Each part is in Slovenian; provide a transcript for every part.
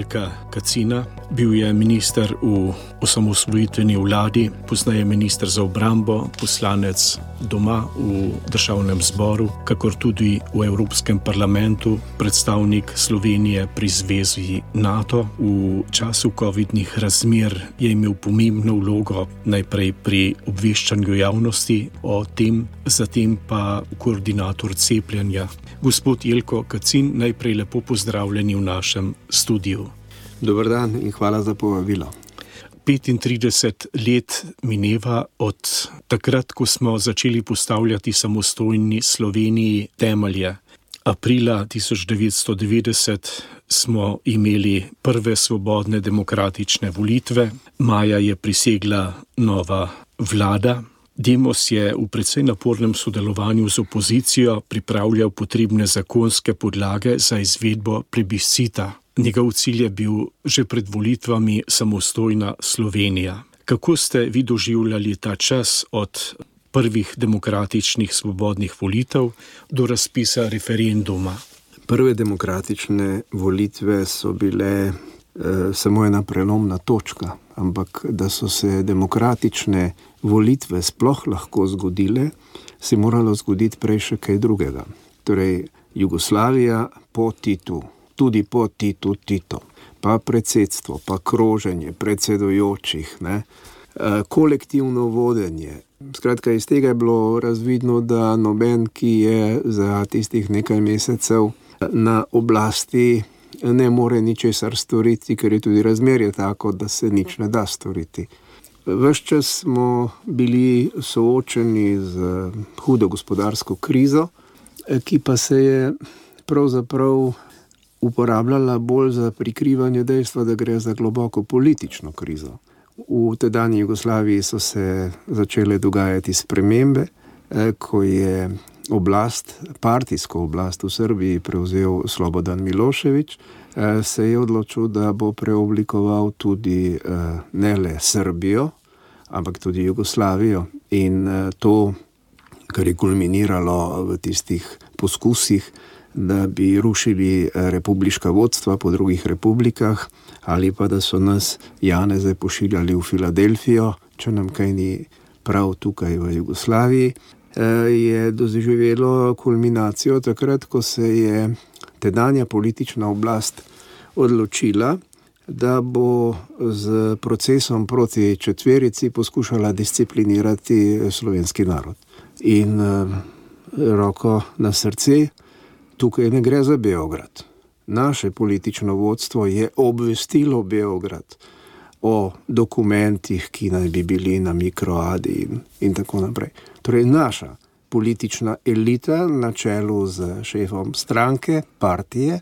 Jelka Kacina. Bil je minister v osamosvojitveni vladi, poznaje minister za obrambo, poslanec doma v državnem zboru, kakor tudi v Evropskem parlamentu, predstavnik Slovenije pri zvezi NATO. V času covidnih razmer je imel pomembno vlogo najprej pri obveščanju javnosti o tem, zatem pa koordinator cepljenja. Gospod Jelko Kacin, najprej lepo pozdravljeni v našem studiu. Dober dan in hvala za povabilo. 35 let mineva od takrat, ko smo začeli postavljati samostojni Sloveniji temelje. Aprila 1990 smo imeli prve svobodne demokratične volitve, maja je prisegla nova vlada. Demos je v precej napornem sodelovanju z opozicijo pripravljal potrebne zakonske podlage za izvedbo plebiscita. Njegov cilj je bil že pred volitvami samostojna Slovenija. Kako ste vi doživljali ta čas od prvih demokratičnih svobodnih volitev do razpisa referenduma? Prve demokratične volitve so bile samo ena prelomna točka, ampak da so se demokratične volitve sploh lahko zgodile, se moralo zgoditi prej še kaj drugega. Torej, Jugoslavija po Titu, tudi po Tito, pa predsedstvo, pa kroženje predsedujočih, kolektivno vodenje. Skratka, iz tega je bilo razvidno, da noben, ki je za tistih nekaj mesecev na oblasti, ne more ničesar storiti, ker je tudi razmerje tako, da se nič ne da storiti. Ves čas smo bili soočeni z hudo gospodarsko krizo, ki pa se je pravzaprav uporabljala bolj za prikrivanje dejstva, da gre za globoko politično krizo. V tedanji Jugoslaviji so se začele dogajati spremembe, ko je partijsko oblast v Srbiji prevzel Slobodan Milošević, se je odločil, da bo preoblikoval tudi ne le Srbijo, ampak tudi Jugoslavijo. In to, kar je kulminiralo v tistih poskusih, da bi rušili republiška vodstva po drugih republikah, ali pa da so nas Janeze pošiljali v Filadelfijo, če nam kaj ni prav tukaj v Jugoslaviji, je doživelo kulminacijo takrat, ko se je tedanja politična oblast odločila, da bo z procesom proti četverici poskušala disciplinirati slovenski narod. In roko na srce, tukaj ne gre za Beograd. Naše politično vodstvo je obvestilo Beograd o dokumentih, ki naj bi bili na mikroadi in tako naprej. Torej, naša politična elita na čelu z šefom stranke, partije,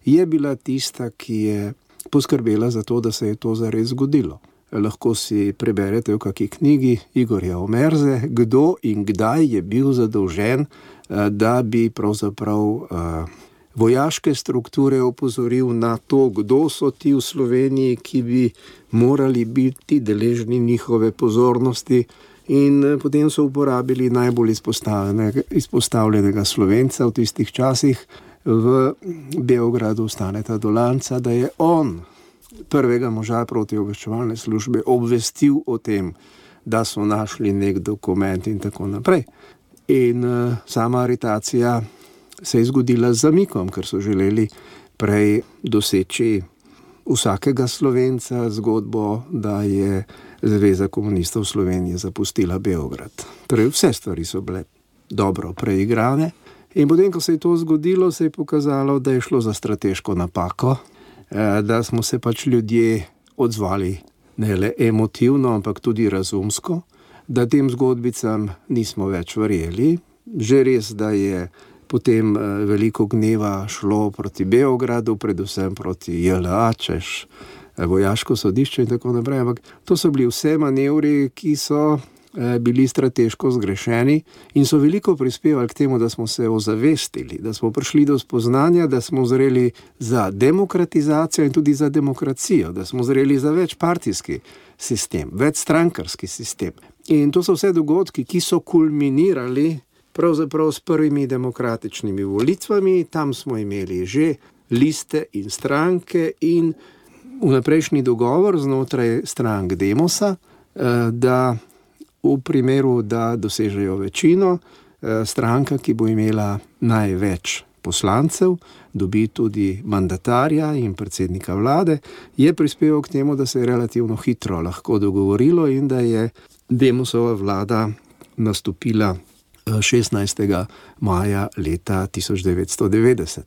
je bila tista, ki je poskrbela za to, da se je to zares zgodilo. Lahko si preberete v kakšni knjigi Igorja Omerze, kdo in kdaj je bil zadolžen, da bi pravzaprav vojaške strukture opozoril na to, kdo so ti v Sloveniji, ki bi morali biti deležni njihove pozornosti, in potem so uporabili najbolj izpostavljenega Slovenca v tistih časih v Beogradu, Staneta Dolanca, da je on prvega moža protiobveščevalne službe obvestil o tem, da so našli nek dokument in tako naprej. In sama aretacija se je zgodila z zamikom, ker so želeli prej doseči vsakega Slovenca zgodbo, da je Zveza komunistov Slovenije zapustila Beograd. Torej, vse stvari so bile dobro preigrane. In potem, ko se je to zgodilo, se je pokazalo, da je šlo za strateško napako, da smo se pač ljudje odzvali ne le emotivno, ampak tudi razumsko, da tem zgodbicam nismo več verjeli. Že res, da je potem veliko gneva šlo proti Beogradu, predvsem proti JLA, češ vojaško sodišče in tako naprej, ampak to so bili vse manevri, ki so bili strateško zgrešeni in so veliko prispevali k temu, da smo se ozavestili, da smo prišli do spoznanja, da smo zreli za demokratizacijo in tudi za demokracijo, da smo zreli za večpartijski sistem, večstrankarski sistem. In to so vse dogodki, ki so kulminirali pravzaprav s prvimi demokratičnimi volitvami. Tam smo imeli že liste in stranke in vnaprejšnji dogovor znotraj strank Demosa, da v primeru, da dosežejo večino, stranka, ki bo imela največ poslancev, dobi tudi mandatarja in predsednika vlade, je prispeval k temu, da se je relativno hitro lahko dogovorilo in da je Demosova vlada nastopila 16. maja leta 1990.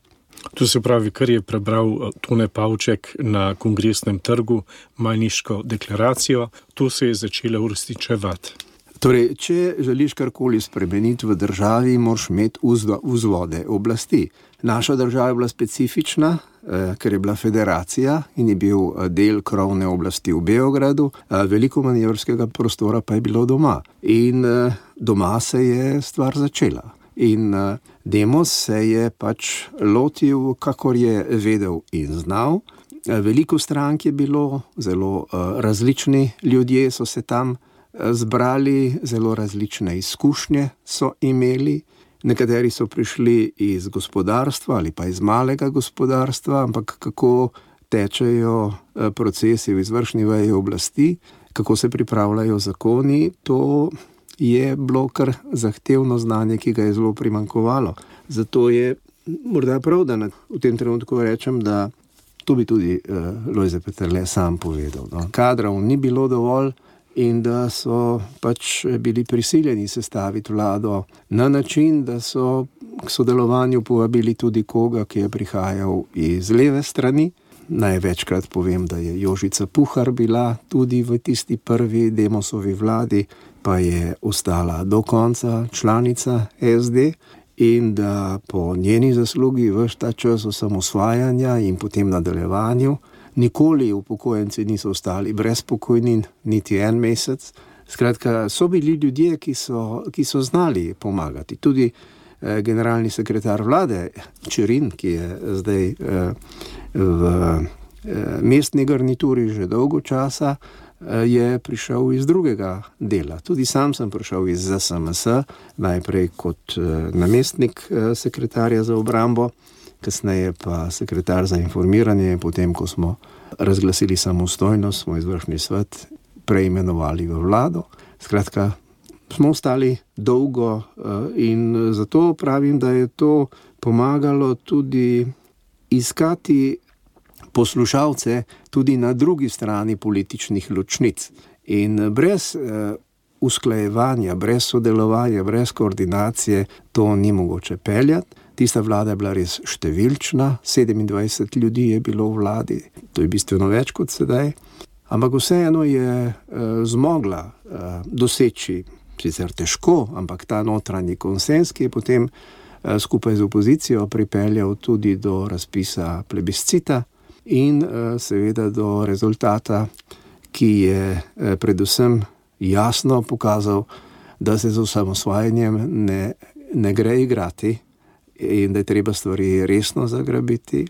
To se pravi, kar je prebral Tone Pavček na Kongresnem trgu, Majniško deklaracijo, to se je začelo uresničevati. Torej, če želiš karkoli spremeniti v državi, moraš imeti vzvode oblasti. Naša država je bila specifična, ker je bila federacija in je bil del krovne oblasti v Beogradu, veliko manevrskega prostora pa je bilo doma. In doma se je stvar začela. In Demos se je pač lotil, kakor je vedel in znal. Veliko strank je bilo, zelo različni ljudje so se tam zbrali, zelo različne izkušnje so imeli. Nekateri so prišli iz gospodarstva ali pa iz malega gospodarstva, ampak kako tečejo procesi v izvršni veji oblasti, kako se pripravljajo zakoni, to je bilo kar zahtevno znanje, ki ga je zelo primanjkovalo. Zato je morda prav, da v tem trenutku rečem, da to bi tudi Lojze Peterle sam povedal. No. Kadrov ni bilo dovolj in da so pač bili prisiljeni sestaviti vlado na način, da so k sodelovanju povabili tudi koga, ki je prihajal iz leve strani. Največkrat povem, da je Jožica Puhar bila tudi v tisti prvi Demosovi vladi, pa je ostala do konca članica SD in da po njeni zaslugi ves ta čas osamosvajanja in potem nadaljevanju nikoli upokojenci niso ostali brez pokojnin, niti en mesec. Skratka, so bili ljudje, ki so znali pomagati. Tudi generalni sekretar vlade Čerin, ki je zdaj v mestni garnituri že dolgo časa, je prišel iz drugega dela. Tudi sam sem prišel iz ZSMS, najprej kot namestnik sekretarja za obrambo, kasneje pa sekretar za informiranje, potem, ko smo razglasili samostojnost, smo izvršni svet preimenovali v vlado. Skratka, smo ostali dolgo in zato pravim, da je to pomagalo tudi iskati poslušalce tudi na drugi strani političnih ločnic. In brez usklajevanja, brez sodelovanja, brez koordinacije to ni mogoče peljati. Tista vlada je bila res številčna, 27 ljudi je bilo v vladi, to je bistveno več kot sedaj, ampak vseeno je zmogla doseči, sicer težko, ampak ta notranji konsens, ki je potem skupaj z opozicijo pripeljal tudi do razpisa plebiscita in seveda do rezultata, ki je predvsem jasno pokazal, da se z osamosvajanjem ne gre igrati in da je treba stvari resno zagrabiti.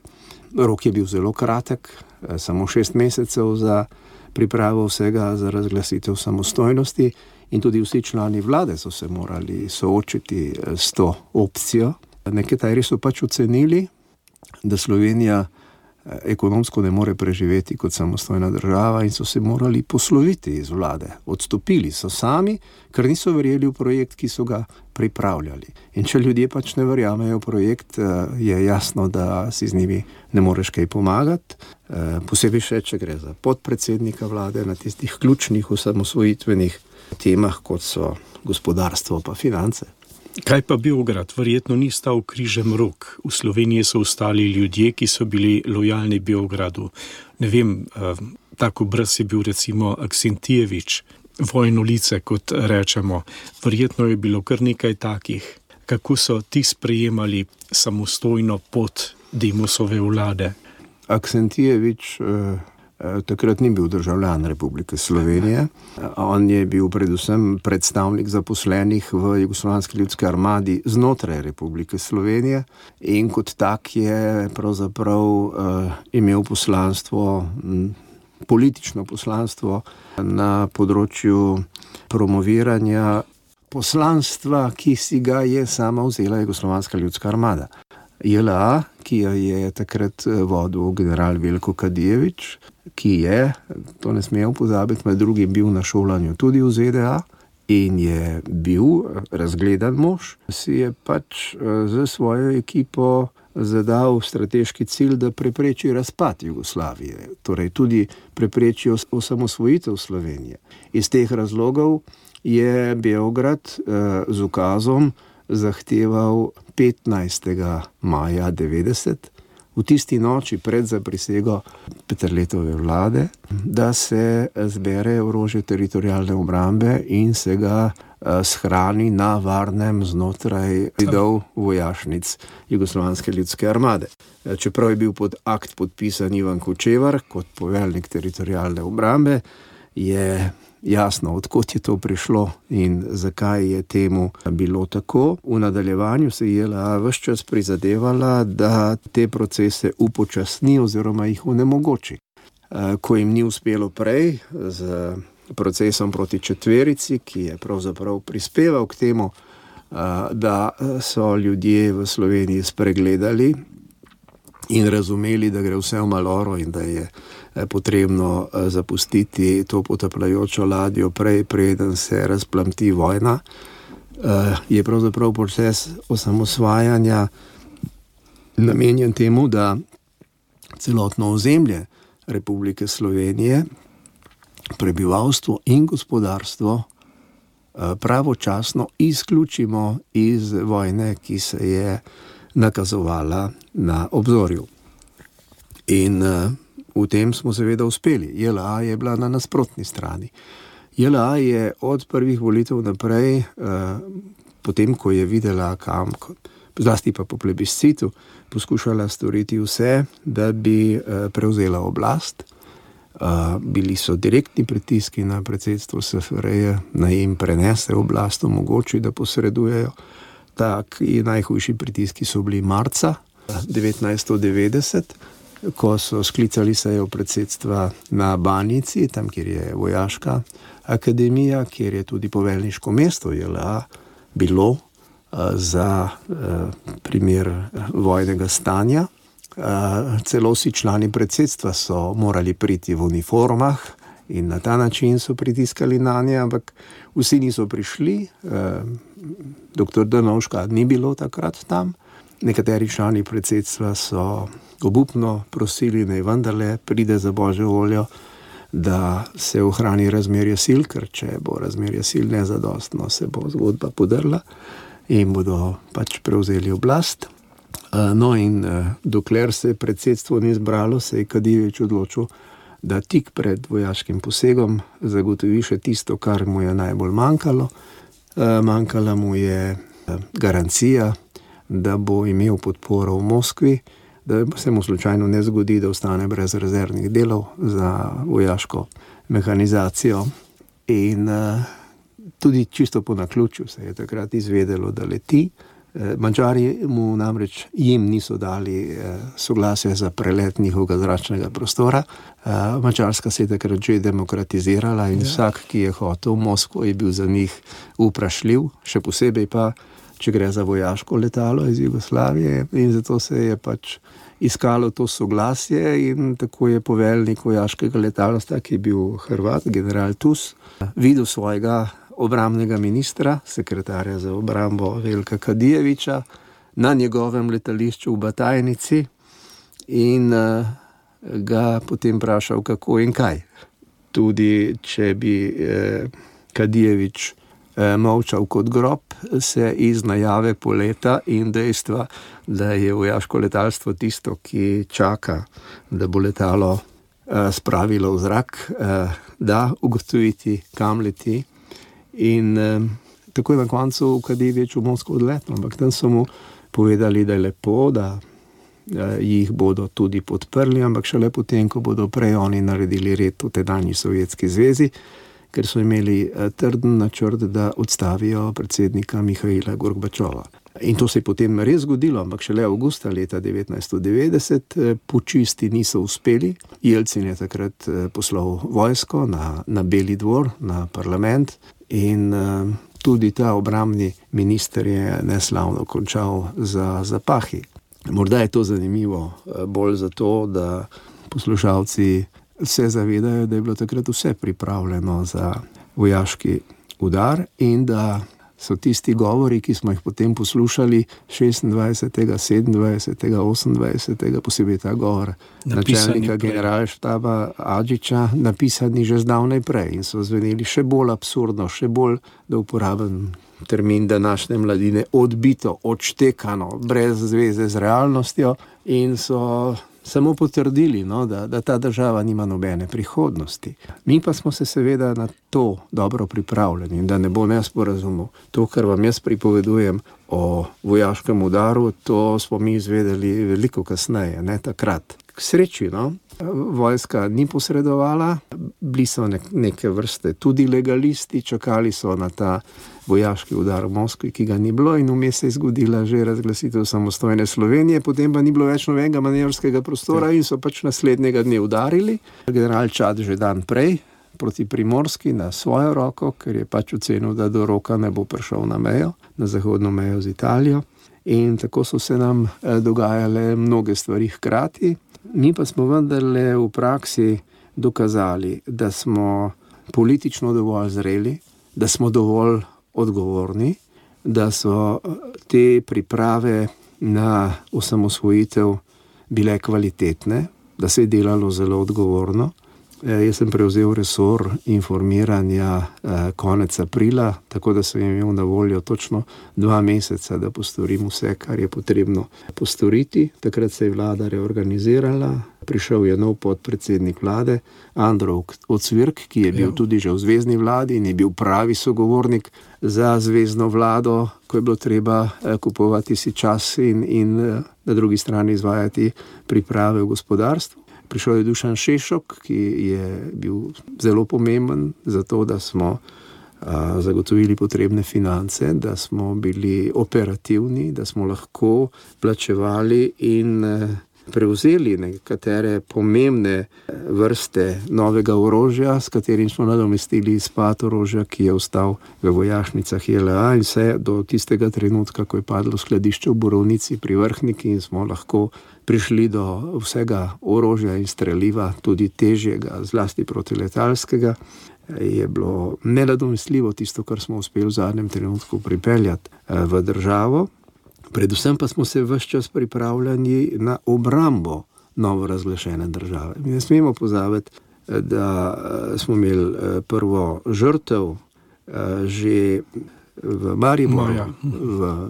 Rok je bil zelo kratek, samo 6 mesecev za pripravo vsega za razglasitev samostojnosti in tudi vsi člani vlade so se morali soočiti s to opcijo. Nekateri so pač ocenili, da Slovenija ekonomsko ne more preživeti kot samostojna država in so se morali posloviti iz vlade. Odstopili so sami, ker niso verjeli v projekt, ki so ga pripravljali. In če ljudje pač ne verjamejo v projekt, je jasno, da si z njimi ne moreš kaj pomagati. Posebej še, če gre za podpredsednika vlade na tistih ključnih osamosvojitvenih temah, kot so gospodarstvo pa finance. Kaj pa Beograd? Verjetno ni stal križem rok. V Sloveniji so ostali ljudje, ki so bili lojalni Beogradu. Ne vem, tako brez je bil recimo Aksentijevič, Vojnolice, kot rečemo. Verjetno je bilo kar nekaj takih. Kako so ti sprejemali samostojno pot Demosove vlade? Aksentijevič takrat ni bil državljan Republike Slovenije. On je bil predvsem predstavnik zaposlenih v Jugoslovanski ljudski armadi znotraj Republike Slovenije in kot tak je pravzaprav imel poslanstvo, politično poslanstvo na področju promoviranja poslanstva, ki si ga je sama vzela Jugoslovanska ljudska armada. JLA, ki jo je takrat vodil general Veljko Kadijević, ki je, to ne smemo pozabiti, med drugim bil na šolanju tudi v ZDA in je bil razgledan mož, si je pač z svojo ekipo zadal strateški cilj, da prepreči razpad Jugoslavije, torej tudi prepreči osamosvojitev Slovenije. Iz teh razlogov je Beograd z ukazom zahteval 15. maja 90, v tisti noči pred zaprisego Peterletove vlade, da se zbere orožje teritorialne obrambe in se ga shrani na varnem znotraj zidov vojašnic Jugoslovanske ljudske armade. Čeprav je bil pod akt podpisan Ivan Kočevar kot poveljnik teritorialne obrambe, je jasno, odkot je to prišlo in zakaj je temu bilo tako. V nadaljevanju se je JLA ves čas prizadevala, da te procese upočasni oziroma jih onemogoči. Ko jim ni uspelo prej z procesom proti četverici, ki je pravzaprav prispeval k temu, da so ljudje v Sloveniji spregledali in razumeli, da gre vse v maloro in da je potrebno zapustiti to potapljajočo ladjo prej, preden se razplamti vojna, je pravzaprav proces osamosvajanja namenjen temu, da celotno ozemlje Republike Slovenije, prebivalstvo in gospodarstvo pravočasno izključimo iz vojne, ki se je nakazovala na obzorju. In v tem smo seveda uspeli. JLA je bila na nasprotni strani. JLA je od prvih volitev naprej, potem ko je videla kam, zlasti pa po plebiscitu, poskušala storiti vse, da bi prevzela oblast. Bili so direktni pritiski na predsedstvo SFRJ, naj jim prenese oblast, omogoči, da posredujejo. Taki najhujši pritiski so bili marca 1990, ko so sklicali sejo predsedstva na Banjici, tam, kjer je vojaška akademija, kjer je tudi poveljniško mesto JLA bilo za primer vojnega stanja. Celo vsi člani predsedstva so morali priti v uniformah in na ta način so pritiskali na nje, ampak vsi niso prišli. Dr. Drnovška ni bilo takrat tam. Nekateri člani predsedstva so obupno prosili, naj vendarle pride za božjo voljo, da se ohrani razmerje sil, ker če bo razmerje sil nezadostno, se bo zgodba podrla in bodo pač prevzeli oblast. No in dokler se predsedstvo ni zbralo, se je Kadijević odločil, da tik pred vojaškim posegom zagotovi še tisto, kar mu je najbolj manjkalo. Manjkala mu je garancija, da bo imel podporo v Moskvi, da se mu slučajno ne zgodi, da ostane brez rezervnih delov za vojaško mehanizacijo. In tudi čisto po naključju se je takrat izvedelo, da leti. Madžari mu namreč jim niso dali soglasje za prelet njihovega zračnega prostora. Madžarska se je takrat že demokratizirala in vsak, ki je hotel v Moskvo, je bil za njih vprašljiv, še posebej pa, če gre za vojaško letalo iz Jugoslavije, in zato se je pač iskalo to soglasje in tako je poveljnik vojaškega letalstva, ki je bil Hrvat, general Tus, videl svojega obrambnega ministra, sekretarja za obrambo Veljka Kadijevića, na njegovem letališču v Batajnici in ga potem vprašal, kako in kaj. Tudi če bi Kadijević molčal kot grob, se iz najave poleta in dejstva, da je vojaško letalstvo tisto, ki čaka, da bo letalo spravilo v zrak, da ugotoviti, kam leti. In tako je na koncu Kadijević v Moskvo odletel, ampak tam so mu povedali, da je lepo, da jih bodo tudi podprli, ampak šele potem, ko bodo prej oni naredili red v tedanji Sovjetski zvezi, ker so imeli trden načrt, da odstavijo predsednika Mihaila Gorbačova. In to se je potem res zgodilo, ampak šele avgusta leta 1990 pučisti niso uspeli. Jelcin je takrat poslal vojsko na Beli dvor, na parlament, in tudi ta obrambni minister je neslavno končal za zapahi. Morda je to zanimivo bolj zato, da poslušalci se zavedajo, da je bilo takrat vse pripravljeno za vojaški udar in da so tisti govori, ki smo jih potem poslušali 26., 27., 28., posebej ta govor načelnika generalštaba Adžiča, napisani že zdavnaj prej in so zveneli še bolj absurdno, še bolj, da uporabim termin današnje mladine, odbito, odštekano, brez zveze z realnostjo in so samo potrdili, da ta država nima nobene prihodnosti. Mi pa smo se seveda na to dobro pripravljeni in da ne bo nesporazumov. To, kar vam jaz pripovedujem o vojaškem udaru, to smo mi izvedeli veliko kasneje, ne takrat. K sreči, vojska ni posredovala, bili so neke vrste tudi legalisti, čakali so na ta vojaški udar v Moskvi, ki ga ni bilo in vmes se je zgodila že razglasitev samostojne Slovenije, potem pa ni bilo več nobenega manevrskega prostora in so pač naslednjega dne udarili. General Čad že dan prej proti Primorski na svojo roko, ker je pač ocenil, da do roka ne bo prišel na mejo, na zahodno mejo z Italijo. In tako so se nam dogajale mnoge stvari hkrati. Mi pa smo vendarle v praksi dokazali, da smo politično dovolj zreli, da smo dovolj odgovorni, da so te priprave na osamosvojitev bile kvalitetne, da se je delalo zelo odgovorno. Jaz sem prevzel resor informiranja konec aprila, tako da sem imel na voljo točno 2 meseca, da postorim vse, kar je potrebno postoriti. Takrat se je vlada reorganizirala, prišel je nov podpredsednik vlade, Andro Ocvirk, ki je bil tudi že v zvezni vladi in je bil pravi sogovornik za zvezno vlado, ko je bilo treba kupovati si čas in na drugi strani izvajati priprave v gospodarstvu. Prišel je Dušan Šešok, ki je bil zelo pomemben za to, da smo zagotovili potrebne finance, da smo bili operativni, da smo lahko plačevali in prevzeli nekatere pomembne vrste novega orožja, s katerim smo nadomestili izpad orožja, ki je ostal v vojašnicah JLA in vse do tistega trenutka, ko je padlo skladišče v Borovnici pri Vrhniki in smo lahko prišli do vsega orožja in streliva, tudi težjega, zlasti protiletalskega, je bilo nenadomestljivo tisto, kar smo uspeli v zadnjem trenutku pripeljati v državo. Predvsem pa smo se ves čas pripravljali na obrambo novo razglašene države. Mi ne smemo pozabiti, da smo imeli prvo žrtev že v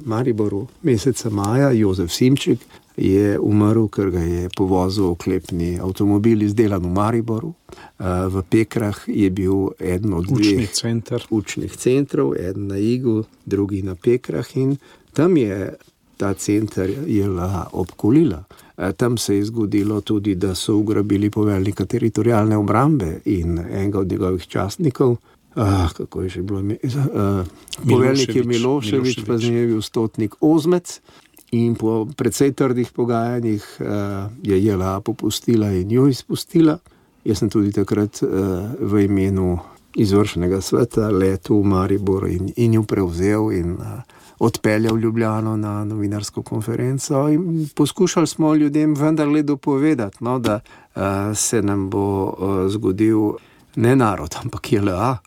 Mariboru meseca maja. Jozef Simčik je umrl, ker ga je povozil oklepni avtomobil izdelan v Mariboru. V Pekrah je bil eden od učnih centrov, eden na Igu, drugi na Pekrah in tam je ta center JLA obkolila. Tam se je zgodilo tudi, da so ugrabili poveljnika teritorialne obrambe in enega od njegovih častnikov, kako je že bilo poveljnik je Milošević, pa z njim je bil stotnik Ozmec in po precej trdih pogajanjih je JLA popustila in jo izpustila. Jaz sem tudi takrat v imenu izvršnega sveta letel v Maribor in jo prevzel in odpeljal Ljubljano na novinarsko konferenco in poskušali smo ljudem vendarle dopovedati, da se nam bo zgodil ne narod, ampak JLA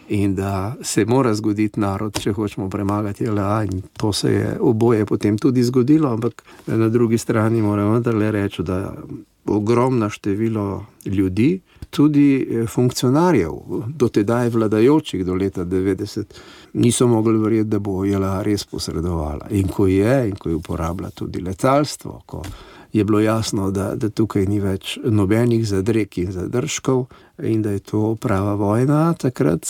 in da se mora zgoditi narod, če hočemo premagati JLA in to se je oboje potem tudi zgodilo, ampak na drugi strani moram vendarle reči, da ogromno število ljudi, tudi funkcionarjev, dotedaj vladajočih do leta 90, niso mogli verjeti, da bo JLA res posredovala. In ko je uporablja tudi letalstvo, ko je bilo jasno, da tukaj ni več nobenih zadreg in zadržkov in da je to prava vojna, takrat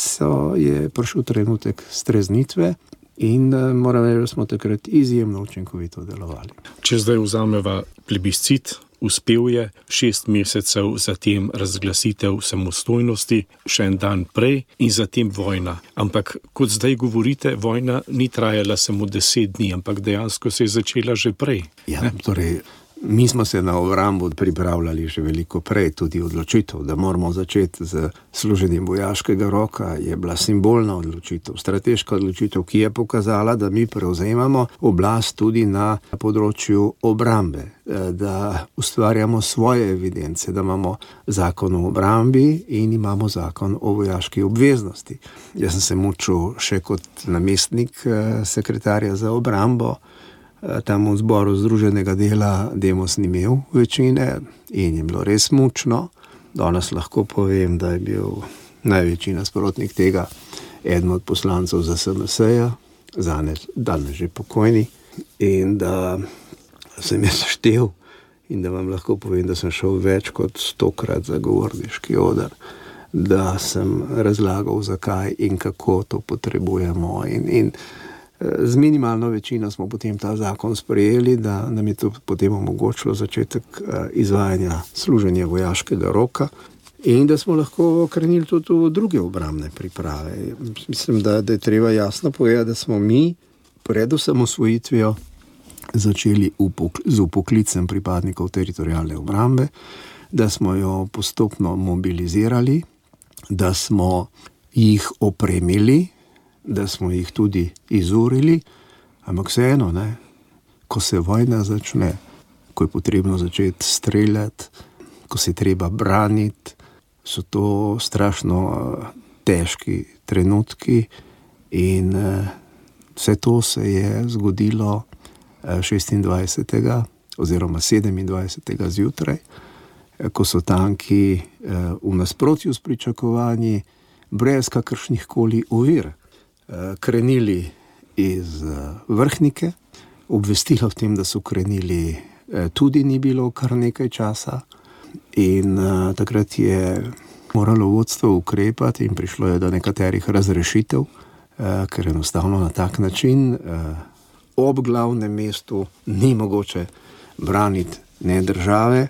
je prišel trenutek streznitve in moram reči, da smo takrat izjemno učinkovito delovali. Če zdaj vzameva plebiscit, uspel je 6 mesecev, zatem razglasitev samostojnosti, še en dan prej in zatem vojna. Ampak kot zdaj govorite, vojna ni trajala samo 10 dni, ampak dejansko se je začela že prej. Ja, torej Mi smo se na obrambo pripravljali že veliko prej, tudi odločitev, da moramo začeti z služenjem vojaškega roka, je bila simbolna odločitev, strateška odločitev, ki je pokazala, da mi prevzemamo oblast tudi na področju obrambe, da ustvarjamo svoje evidence, da imamo zakon o obrambi in imamo zakon o vojaški obveznosti. Jaz sem se mučil še kot namestnik sekretarja za obrambo, tam v zboru Združenega dela Demos ni imel večine in je bilo res mučno. Danes lahko povem, da je bil največji nasprotnik tega eden od poslancev za SMS-ja, danes že pokojni, in da sem jaz štel in da vam lahko povem, da sem šel več kot 100-krat za govorniški oder, da sem razlagal, zakaj in kako to potrebujemo in z minimalno večino smo potem ta zakon sprejeli, da nam je to potem omogočilo začetek izvajanja služenja vojaškega roka in da smo lahko krenili tudi v druge obrambne priprave. Mislim, da je treba jasno povedati, da smo mi pred osamosvojitvijo začeli z vpoklicem pripadnikov teritorialne obrambe, da smo jo postopno mobilizirali, da smo jih opremili, da smo jih tudi izurili, ampak vseeno, ko se vojna začne, ko je potrebno začeti streljati, ko se treba braniti, so to strašno težki trenutki in vse to se je zgodilo 26. oziroma 27. zjutraj, ko so tanki v nasprotju s pričakovanji brez kakršnih koli ovir krenili iz Vrhnike. Obvestilo o tem, da so krenili, tudi ni bilo kar nekaj časa in takrat je moralo vodstvo ukrepati in prišlo je do nekaterih razrešitev, ker enostavno na tak način ob glavnem mestu ni mogoče braniti ne države,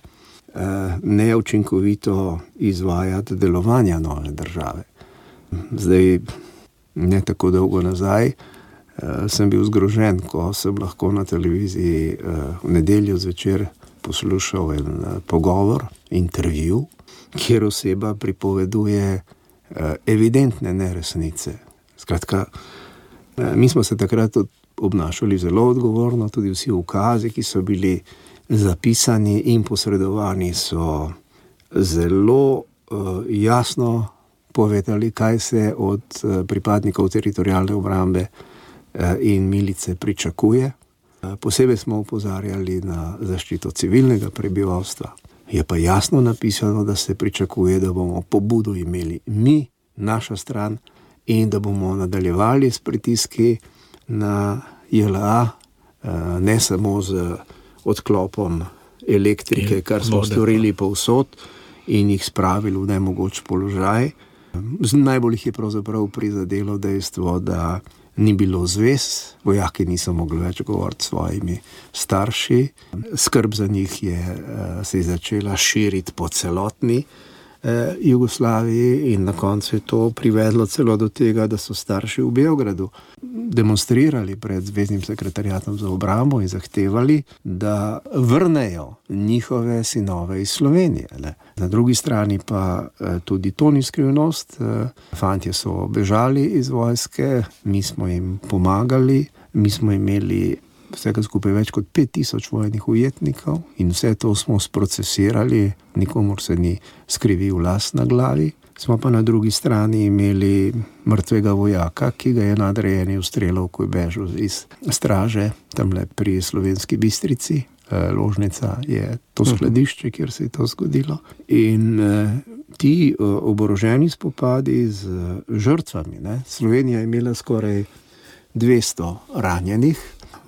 ne učinkovito izvajati delovanja nove države. Zdaj, ne tako dolgo nazaj, sem bil zgrožen, ko sem lahko na televiziji v nedeljo zvečer poslušal en pogovor, intervju, kjer oseba pripoveduje evidentne neresnice. Skratka, mi smo se takrat obnašali zelo odgovorno, tudi vsi ukazi, ki so bili zapisani in posredovani, so zelo jasno povedali, kaj se od pripadnikov teritorialne obrambe in milice pričakuje. Posebej smo opozarjali na zaščito civilnega prebivalstva. Je pa jasno napisano, da se pričakuje, da bomo pobudo imeli mi, naša stran, in da bomo nadaljevali s pritiski na JLA, ne samo z odklopom elektrike, kar smo storili povsod in jih spravili v nemogoč položaj. Najbolj jih je pravzaprav prizadelo dejstvo, da ni bilo zvez, vojaki niso mogli več govoriti s svojimi starši. Skrb za njih se je začela širiti po celotni Jugoslaviji in na koncu je to privedlo celo do tega, da so starši v Beogradu demonstrirali pred Zvezdnim sekretariatom za obrambo in zahtevali, da vrnejo njihove sinove iz Slovenije. Na drugi strani pa tudi to ni skrivnost. Fantje so bežali iz vojske, mi smo jim pomagali, mi smo imeli vsega skupaj več kot 5000 vojnih ujetnikov in vse to smo sprocesirali, nikomur se ni skrivil las na glavi. Smo pa na drugi strani imeli mrtvega vojaka, ki ga je nadrejeni ustrelil, ko je bežal iz straže, tamle pri Slovenski Bistrici. Ložnica je to skladišče, kjer se je to zgodilo. In ti oboroženi spopadi z žrtvami, Slovenija je imela skoraj 200 ranjenih,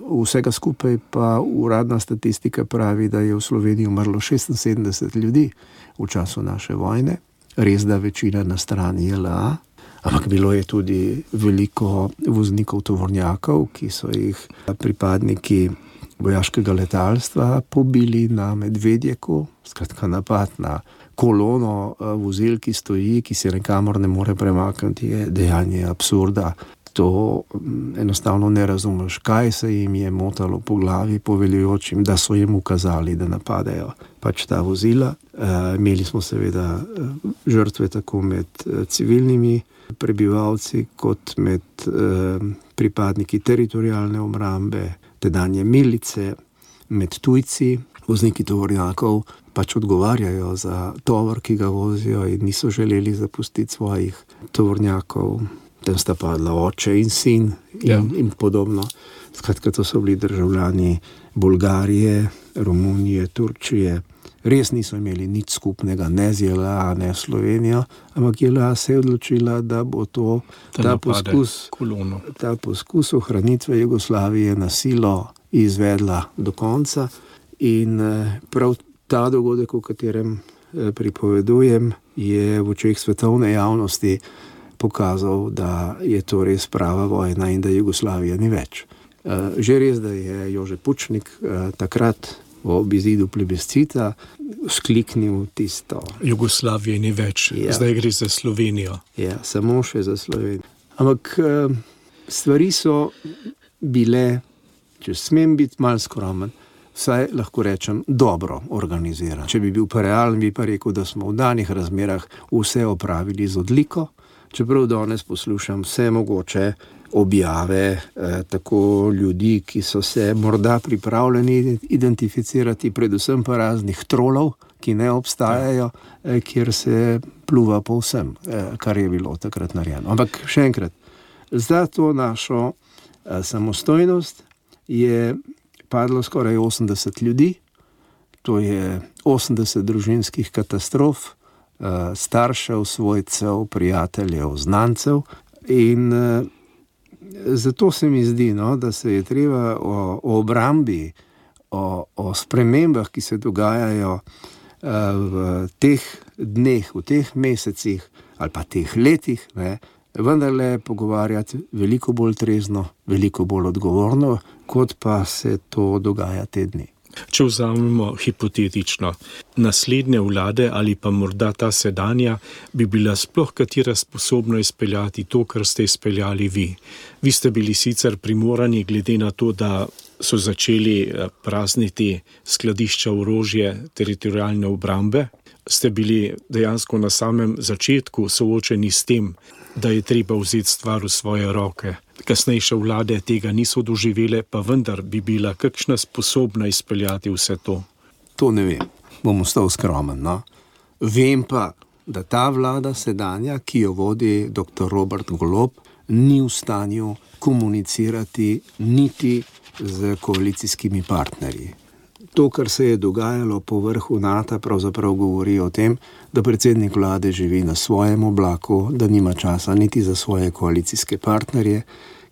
vsega skupaj pa uradna statistika pravi, da je v Sloveniji umrlo 76 ljudi v času naše vojne. Res, da večina na strani JLA, ampak bilo je tudi veliko voznikov tovornjakov, ki so jih pripadniki vojaškega letalstva pobili na Medvedjeku. Skratka, napad na kolono vozil, ki stoji, ki se nikamor ne more premakniti, je dejanje absurda. to enostavno ne razumeš, kaj se jim je motalo po glavi poveljujočim, da so jim ukazali, da napadejo pač ta vozila. Imeli smo seveda žrtve tako med civilnimi prebivalci kot med pripadniki teritorialne obrambe, tedanje milice, med tujci. Vozniki tovornjakov pač odgovarjajo za tovor, ki ga vozijo, in niso želeli zapustiti svojih tovornjakov. Tam sta padla oče in sin in podobno. Skratka, to so bili državljani Bolgarije, Romunije, Turčije. Res niso imeli nič skupnega, ne z JLA, ne Slovenijo, ampak JLA se je odločila, da bo ta poskus ohranitve Jugoslavije na silo izvedla do konca. In prav ta dogodek, o katerem pripovedujem, je v očeh svetovne javnosti pokazal, da je to res prava vojna in da Jugoslavija ni več. Že res, da je Jože Pučnik takrat ob izidu plebiscita skliknil tisto. Jugoslavije ni več, zdaj gre za Slovenijo. Ja, samo še za Slovenijo. Ampak stvari so bile, če smem biti malo skromen, vsaj lahko rečem, dobro organiziran. Če bi bil pa realen, bi pa rekel, da smo v danih razmerah vse opravili z odliko. Čeprav danes poslušam vse mogoče objave tako ljudi, ki so se morda pripravljeni identificirati, predvsem pa raznih trolov, ki ne obstajajo, kjer se pluva po vsem, kar je bilo takrat narejeno. Ampak še enkrat, za to našo samostojnost je padlo skoraj 80 ljudi, to je 80 družinskih katastrof, staršev, svojcev, prijateljev, znancev, in zato se mi zdi, da se je treba o obrambi, o spremembah, ki se dogajajo v teh dneh, v teh mesecih ali pa teh letih, vendarle pogovarjati veliko bolj trezno, veliko bolj odgovorno, kot pa se to dogaja te dni. Če vzamemo hipotetično, naslednje vlade ali pa morda ta sedanja bi bila sploh katera sposobna izpeljati to, kar ste izpeljali vi. Vi ste bili sicer primorani, glede na to, da so začeli prazniti skladišča orožja teritorialne obrambe, ste bili dejansko na samem začetku soočeni s tem, da je treba vzeti stvar v svoje roke. Kasnejše vlade tega niso doživele, pa vendar bi bila kakšna sposobna izpeljati vse to? To ne vem, bom ostal skromen. Vem pa, da ta vlada sedanja, ki jo vodi dr. Robert Golob, ni v stanju komunicirati niti z koalicijskimi partnerji. To, kar se je dogajalo po vrhu NATO, pravzaprav govori o tem, da predsednik vlade živi na svojem oblaku, da nima časa niti za svoje koalicijske partnerje,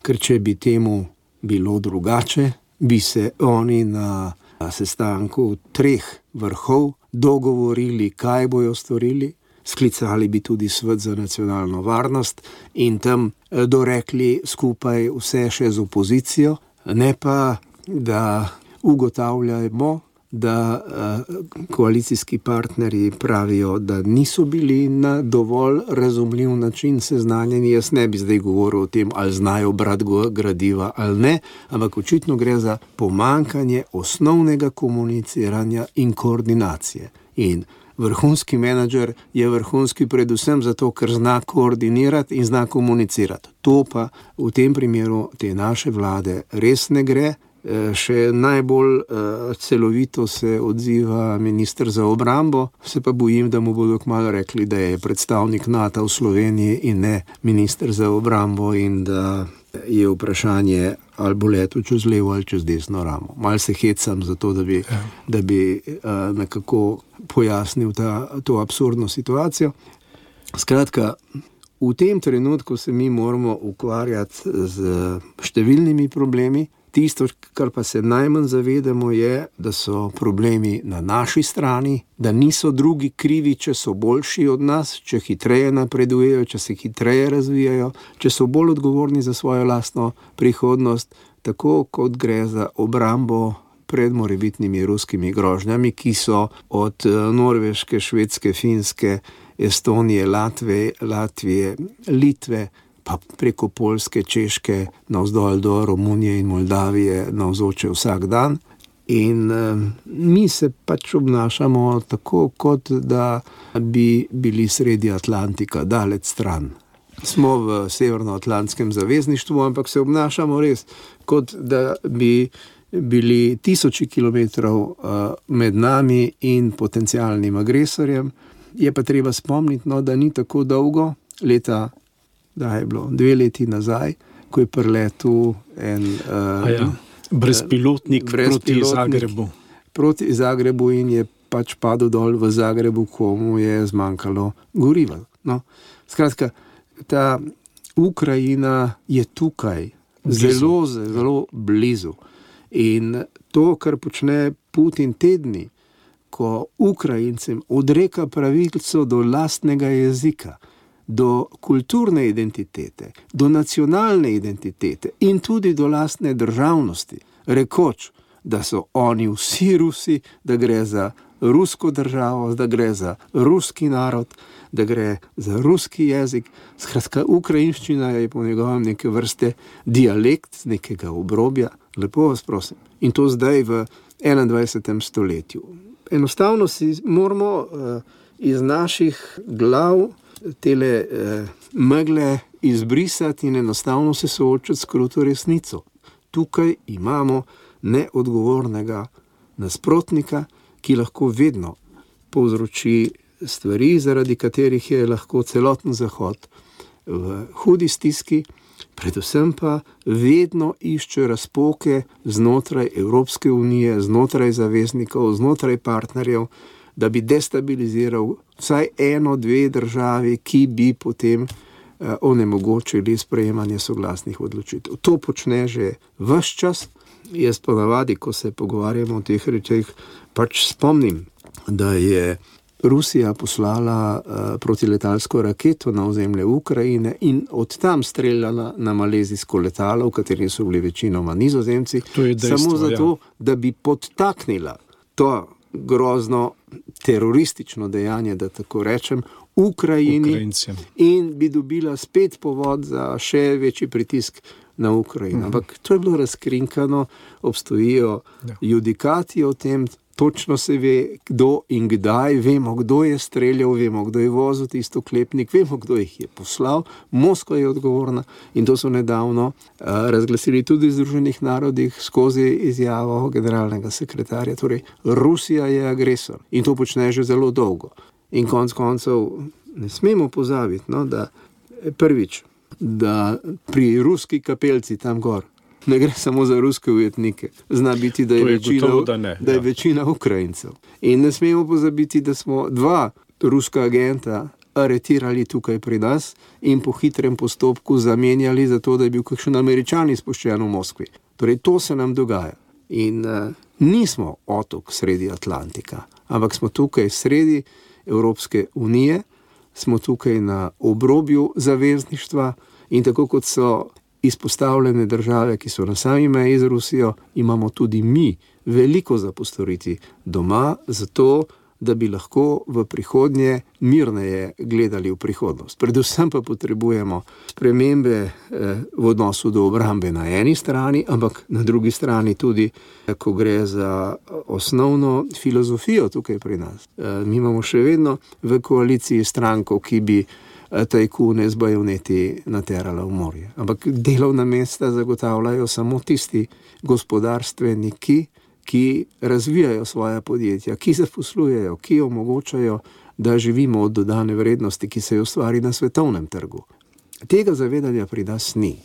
ker če bi temu bilo drugače, bi se oni na sestanku 3 vrhov dogovorili, kaj bojo storili, sklicali bi tudi svet za nacionalno varnost in tam dorekli skupaj vse še z opozicijo, ne pa, da ugotavljamo, da koalicijski partnerji pravijo, da niso bili na dovolj razumljiv način seznanjeni. Jaz ne bi zdaj govoril o tem, ali znajo brati gradiva ali ne, ampak očitno gre za pomanjkanje osnovnega komuniciranja in koordinacije. In vrhunski menedžer je vrhunski predvsem zato, ker zna koordinirati in zna komunicirati. To pa v tem primeru te naše vlade res ne gre. Še najbolj celovito se odziva minister za obrambo, se pa bojim, da mu bodo kmalu rekli, da je predstavnik NATO v Sloveniji in ne minister za obrambo in da je vprašanje, ali bo letel čez levo ali čez desno ramo. Mal se hecam za to, da bi nekako pojasnil to absurdno situacijo. Skratka, v tem trenutku se mi moramo ukvarjati z številnimi problemi. Tisto, kar pa se najmanj zavedamo, je, da so problemi na naši strani, da niso drugi krivi, če so boljši od nas, če hitreje napredujejo, če se hitreje razvijajo, če so bolj odgovorni za svojo lastno prihodnost, tako kot gre za obrambo pred morebitnimi ruskimi grožnjami, ki so od Norveške, Švedske, Finske, Estonije, Latvije, Litve pa preko Poljske, Češke, navzdol do Romunije in Moldavije navzoče vsak dan. In mi se pač obnašamo tako, kot da bi bili sredi Atlantika, daleč stran. Smo v Severnoatlantskem zavezništvu, ampak se obnašamo res, kot da bi bili tisoči kilometrov med nami in potencialnim agresorjem. Je pa treba spomniti, da ni tako dolgo, da je bilo 2 leti nazaj, ko je priletel en brezpilotnik proti Zagrebu. Proti Zagrebu in je pač padel dol v Zagrebu, ko mu je zmanjkalo goriva. No, skratka, ta Ukrajina je tukaj, zelo, zelo blizu. In to, kar počne Putin tedni, ko Ukrajincem odreka pravico do lastnega jezika, do kulturne identitete, do nacionalne identitete in tudi do lastne državnosti, rekoč, da so oni vsi Rusi, da gre za rusko državo, da gre za ruski narod, da gre za ruski jezik. Skratka, ukrajinščina je po njegovem neke vrste dialekt nekega obrobja. Lepo vas prosim. In to zdaj v 21. stoletju. Enostavno si moramo iz naših glav tele megle izbrisati in enostavno se soočati s kruto resnico. Tukaj imamo neodgovornega nasprotnika, ki lahko vedno povzroči stvari, zaradi katerih je lahko celoten Zahod v hudi stiski, predvsem pa vedno išče razpoke znotraj Evropske unije, znotraj zaveznikov, znotraj partnerjev, da bi destabiliziral vsaj 1-2 državi, ki bi potem onemogočili sprejemanje soglasnih odločitev. To počne že ves čas. Jaz ponavadi, ko se pogovarjamo o teh rečeh, pač spomnim, da je Rusija poslala protiletalsko raketo na ozemlje Ukrajine in od tam streljala na malezijsko letalo, v kateri so bili večinoma Nizozemci, samo zato, da bi podtaknila to grozno teroristično dejanje, da tako rečem, Ukrajincem in bi dobila spet povod za še večji pritisk na Ukrajino. Ampak to je bilo razkrinkano, obstojijo judikati o tem, točno se ve, kdo in kdaj, vemo, kdo je streljal, vemo, kdo je vozil tisto oklepnik, vemo, kdo jih je poslal, Moskva je odgovorna in to so nedavno razglasili tudi v Združenih narodih skozi izjavo generalnega sekretarja. Torej, Rusija je agresor in to počne že zelo dolgo. In konec koncev ne smemo pozabiti, da prvič, da pri ruski kapelci tam gor ne gre samo za ruske ujetnike. Zna biti, da je večina Ukrajincev. In ne smemo pozabiti, da smo 2 ruska agenta aretirali tukaj pri nas in po hitrem postopku zamenjali za to, da je bil kakšen Američan izpuščen v Moskvi. Torej, to se nam dogaja. In nismo otok sredi Atlantika, ampak smo tukaj sredi Evropske unije, smo tukaj na obrobju zavezništva in tako kot so izpostavljene države, ki so na sami meji z Rusijo, imamo tudi mi veliko za postoriti doma, zato da bi lahko v prihodnje mirneje gledali v prihodnost. Predvsem pa potrebujemo spremembe v odnosu do obrambe na eni strani, ampak na drugi strani tudi, ko gre za osnovno filozofijo tukaj pri nas. Mi imamo še vedno v koaliciji stranko, ki bi tajkune z bajoneti naterala v morje. Ampak delovna mesta zagotavljajo samo tisti gospodarstveniki, ki razvijajo svoja podjetja, ki zaposlujejo, ki omogočajo, da živimo od dodane vrednosti, ki se jo ustvari na svetovnem trgu. Tega zavedanja pri nas ni.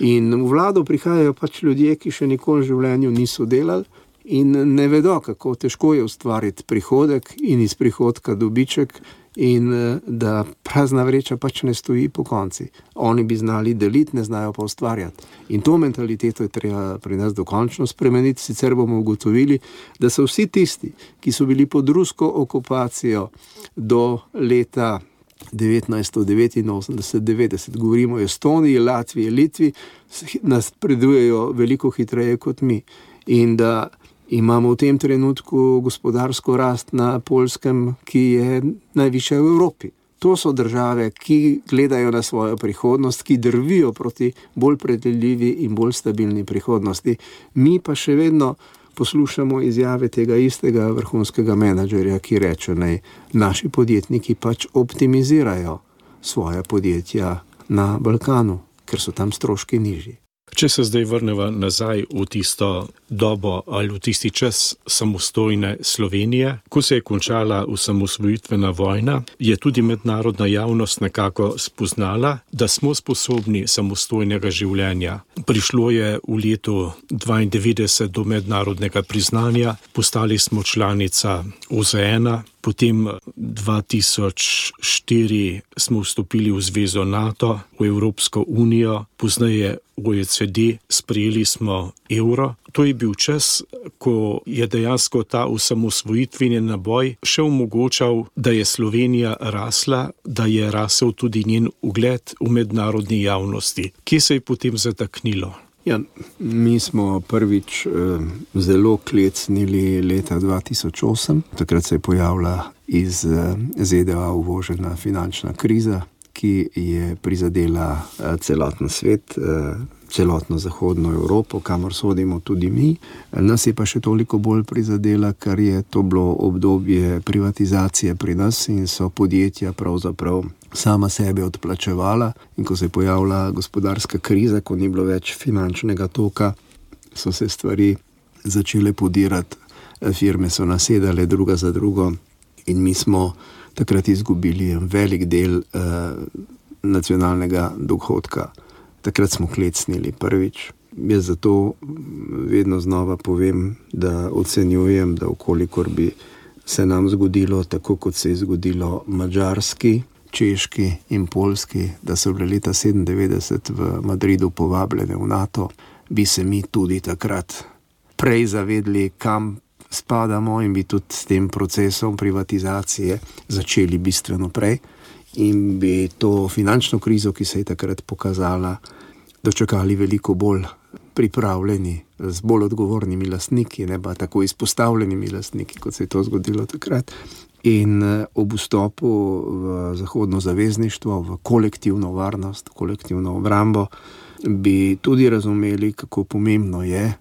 In v vlado prihajajo pač ljudje, ki še nikoli v življenju niso delali in ne vedo, kako težko je ustvariti prihodek in iz prihodka dobiček in da prazna vreča pač ne stoji po konci. Oni bi znali deliti, ne znajo pa ustvarjati. In to mentaliteto je treba pri nas dokončno spremeniti, sicer bomo ugotovili, da so vsi tisti, ki so bili pod rusko okupacijo do leta 1989-90, govorimo o Estoniji, Latviji, Litvi, napredujejo veliko hitreje kot mi. In da imamo v tem trenutku gospodarsko rast na Poljskem, ki je najvišja v Evropi. To so države, ki gledajo na svojo prihodnost, ki drvijo proti bolj predvidljivi in bolj stabilni prihodnosti. Mi pa še vedno poslušamo izjave tega istega vrhunskega menedžerja, ki reče, naj naši podjetniki pač optimizirajo svoja podjetja na Balkanu, ker so tam stroški nižji. Če se zdaj vrneva nazaj v tisto dobo ali v tisti čas samostojne Slovenije, ko se je končala osamosvojitvena vojna, je tudi mednarodna javnost nekako spoznala, da smo sposobni samostojnega življenja. Prišlo je v letu 1992 do mednarodnega priznanja, postali smo članica OZN, potem 2004 smo vstopili v zvezo NATO, v Evropsko unijo, pozneje OECD, sprejeli smo evro. To je bil čas, ko je dejansko ta osamosvojitveni naboj še omogočal, da je Slovenija rasla, da je rasel tudi njen ugled v mednarodni javnosti. Kje se je potem zataknilo? Ja, mi smo prvič zelo klecnili leta 2008. Takrat se je pojavila iz ZDA uvožena finančna kriza, ki je prizadela celoten svet, celotno zahodno Evropo, kamor sodimo tudi mi. Nas je pa še toliko bolj prizadela, ker je to bilo obdobje privatizacije pri nas in so podjetja pravzaprav sama sebe odplačevala. In ko se je pojavila gospodarska kriza, ko ni bilo več finančnega toka, so se stvari začele podirati, firme so nasedale druga za drugo in mi smo takrat izgubili velik del nacionalnega dohodka. Takrat smo klecnili prvič. Jaz zato vedno znova povem, da ocenjujem, da ukolikor bi se nam zgodilo tako, kot se je zgodilo Madžarski, Češki in Poljski, da so bile leta 1997 v Madridu povabljene v NATO, bi se mi tudi takrat prej zavedli, kam spadamo in bi tudi s tem procesom privatizacije začeli bistveno prej in bi to finančno krizo, ki se je takrat pokazala, dočakali veliko bolj pripravljeni, z bolj odgovornimi lastniki, ne pa tako izpostavljenimi lastniki, kot se je to zgodilo takrat. In ob vstopu v zahodno zavezništvo, v kolektivno varnost, kolektivno obrambo, bi tudi razumeli, kako pomembno je,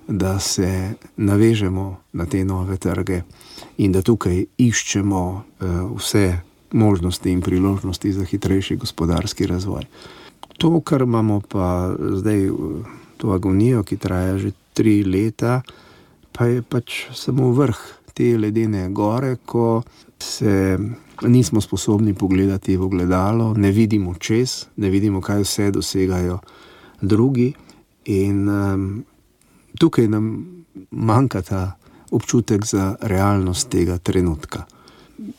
da se navežemo na te nove trge in da tukaj iščemo vse možnosti in priložnosti za hitrejši gospodarski razvoj. To, kar imamo pa zdaj, to agonijo, ki traja že 3 leta, pa je pač samo vrh te ledene gore, ko se nismo sposobni pogledati v ogledalo, ne vidimo čez, ne vidimo, kaj vse dosegajo drugi in tukaj nam manjka ta občutek za realnost tega trenutka.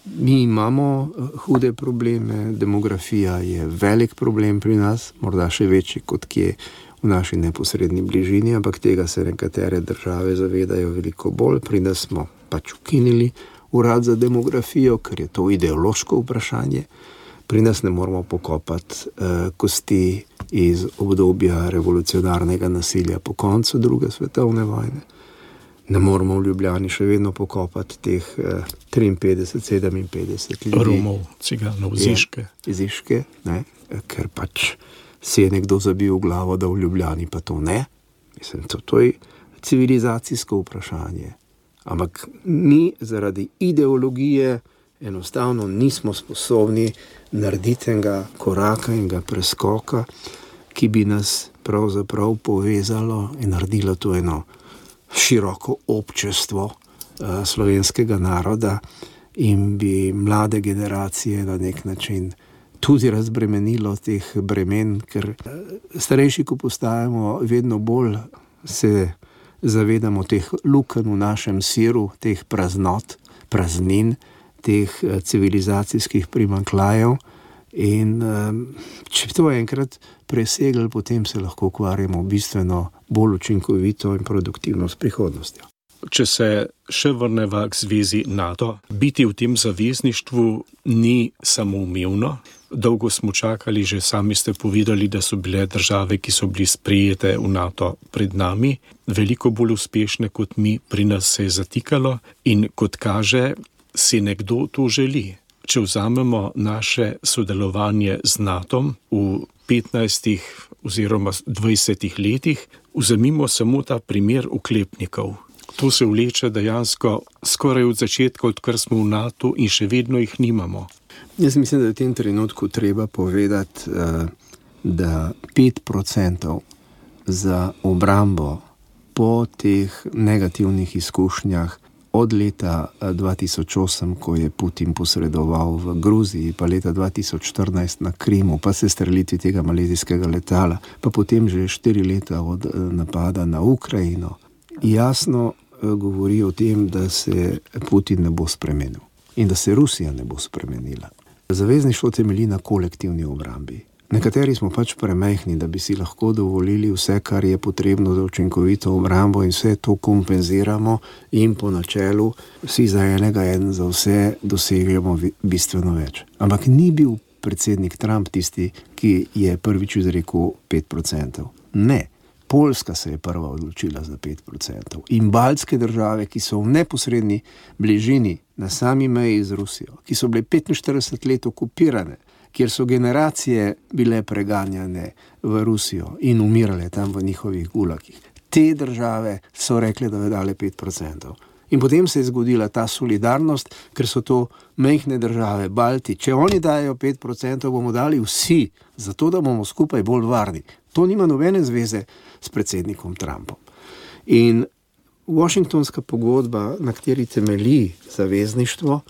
Mi imamo hude probleme, demografija je velik problem pri nas, morda še večji kot kje v naši neposredni bližini, ampak tega se nekatere države zavedajo veliko bolj. Pri nas smo pač ukinili urad za demografijo, ker je to ideološko vprašanje. Pri nas ne moramo pokopati kosti iz obdobja revolucionarnega nasilja po koncu druge svetovne vojne. Ne moramo v Ljubljani še vedno pokopati teh 53-57 ljudi. Romov, ciganov, Ziške. Ziške, ne, ker pač si je nekdo zabil v glavo, da v Ljubljani pa to ne. Mislim, to je civilizacijsko vprašanje. Ampak mi zaradi ideologije enostavno nismo sposobni narediti enega koraka in preskoka, ki bi nas pravzaprav povezalo in naredilo to eno široko občestvo slovenskega naroda in bi mlade generacije na nek način tudi razbremenilo teh bremen, ker starejši, ko postajamo, vedno bolj se zavedamo teh lukenj v našem siru, teh praznot, praznin, teh civilizacijskih primanjkljajev in če to enkrat presegli, potem se lahko ukvarjamo bistveno bolj učinkovito in produktivno s prihodnostjo. Če se še vrneva k zvezi NATO, biti v tem zavezništvu ni samoumevno. Dolgo smo čakali, že sami ste povedali, da so bile države, ki so bili sprejete v NATO pred nami, veliko bolj uspešne kot mi, pri nas se je zatikalo in kot kaže, si nekdo to želi. če vzamemo naše sodelovanje z NATO v 15 oziroma 20 letih, vzemimo samo ta primer oklepnikov. To se vleče dejansko skoraj od začetka, odkar smo v NATO in še vedno jih nimamo. Jaz mislim, da je v tem trenutku treba povedati, da 5% za obrambo po teh negativnih izkušnjah od leta 2008, ko je Putin posredoval v Gruziji, pa leta 2014 na Krimu, pa se strelitvi tega malezijskega letala, pa potem že 4 leta od napada na Ukrajino, jasno govori o tem, da se Putin ne bo spremenil in da se Rusija ne bo spremenila. Zavezništvo temelji na kolektivni obrambi. Nekateri smo pač premajhni, da bi si lahko dovolili vse, kar je potrebno za učinkovito obrambo, in vse to kompenziramo in po načelu vsi za enega, en za vse dosegamo bistveno več. Ampak ni bil predsednik Trump tisti, ki je prvič izrekel 5%. Ne. Poljska se je prva odločila za 5%. In baltske države, ki so v neposredni bližini na sami meji z Rusijo, ki so bile 45 let okupirane, kjer so generacije bile preganjane v Rusijo in umirale tam v njihovih gulagih. Te države so rekle, da bi dale 5%. In potem se je zgodila ta solidarnost, ker so to majhne države, Balti. Če oni dajo 5%, bomo dali vsi, zato da bomo skupaj bolj varni. To nima nobene zveze s predsednikom Trumpom. In Washingtonska pogodba, na kateri temelji zavezništvo,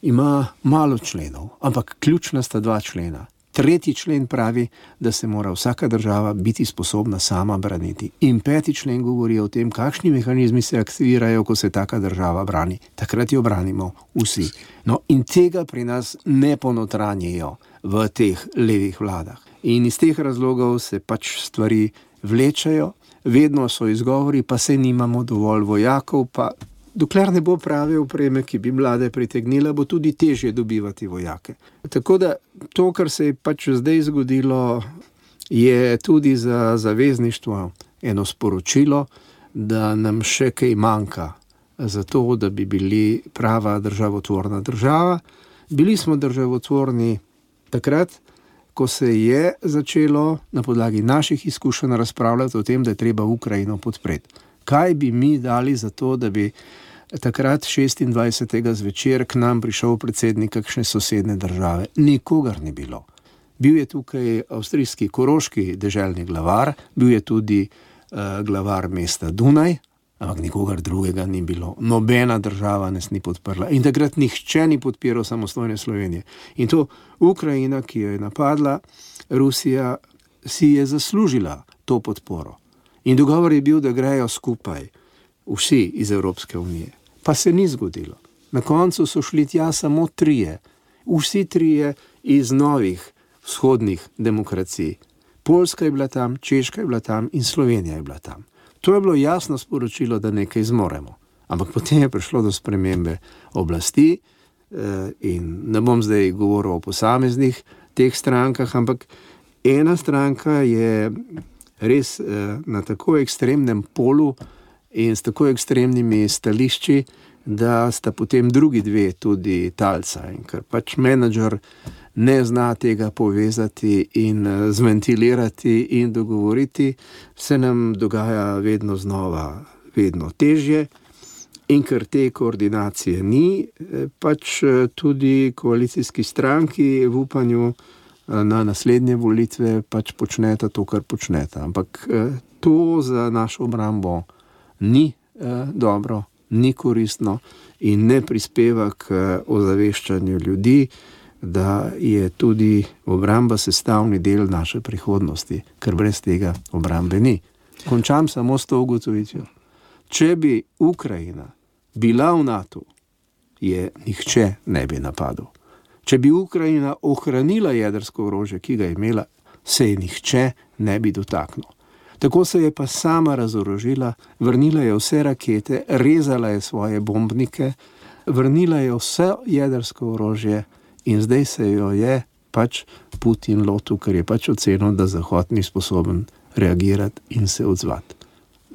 ima malo členov, ampak ključna sta 2 člena. 3. člen pravi, da se mora vsaka država biti sposobna sama braniti. In 5. člen govori o tem, kakšni mehanizmi se aktivirajo, ko se taka država brani. Takrat jo branimo vsi. No, in tega pri nas ne ponotranjijo v teh levih vladah. In iz teh razlogov se pač stvari vlečajo, vedno so izgovori, pa se nimamo dovolj vojakov, pa dokler ne bo prave opreme, ki bi mlade pritegnila, bo tudi težje dobivati vojake. Tako da to, kar se je pač zdaj zgodilo, je tudi za zavezništvo eno sporočilo, da nam še kaj manjka za to, da bi bili prava državotvorna država. Bili smo državotvorni takrat, ko se je začelo na podlagi naših izkušenj razpravljati o tem, da je treba Ukrajino podpreti. Kaj bi mi dali za to, da bi takrat 26. zvečer k nam prišel predsednik kakšne sosedne države? Nikogar ni bilo. Bil je tukaj avstrijski koroški deželni glavar, bil je tudi glavar mesta Dunaj, ampak nikogar drugega ni bilo. Nobena država nas ni podprla. In takrat nihče ni podpiral samostojne Slovenije. In to Ukrajina, ki jo je napadla, Rusija si je zaslužila to podporo. In dogovor je bil, da grejo skupaj vsi iz Evropske unije. Pa se ni zgodilo. Na koncu so šli tja samo 3. Vsi 3 iz novih vzhodnih demokracij. Poljska je bila tam, Češka je bila tam in Slovenija je bila tam. To je bilo jasno sporočilo, da nekaj zmoremo. Ampak potem je prišlo do spremembe oblasti in ne bom zdaj govoril o posameznih teh strankah, ampak ena stranka je res na tako ekstremnem polu in s tako ekstremnimi stališči, da sta potem drugi 2 tudi talca. In ker pač menedžer ne zna tega povezati in zventilirati in dogovoriti, se nam dogaja vedno znova, vedno težje. In ker te koordinacije ni, pač tudi koalicijski stranki v upanju na naslednje volitve pač počneta to, kar počneta. Ampak to za našo obrambo ni dobro, ni koristno in ne prispeva k ozaveščanju ljudi, da je tudi obramba sestavni del naše prihodnosti, ker brez tega obrambe ni. Končam samo s to ugotovitvijo. Če bi Ukrajina bila v NATO, je nihče ne bi napadel. Če bi Ukrajina ohranila jedrsko orožje, ki ga je imela, se je nihče ne bi dotaknil. Tako se je pa sama razorožila, vrnila je vse rakete, rezala je svoje bombnike, vrnila je vse jedrsko orožje in zdaj se jo je pač Putin lotil, ker je pač ocenil, da Zahod ni sposoben reagirati in se odzvati.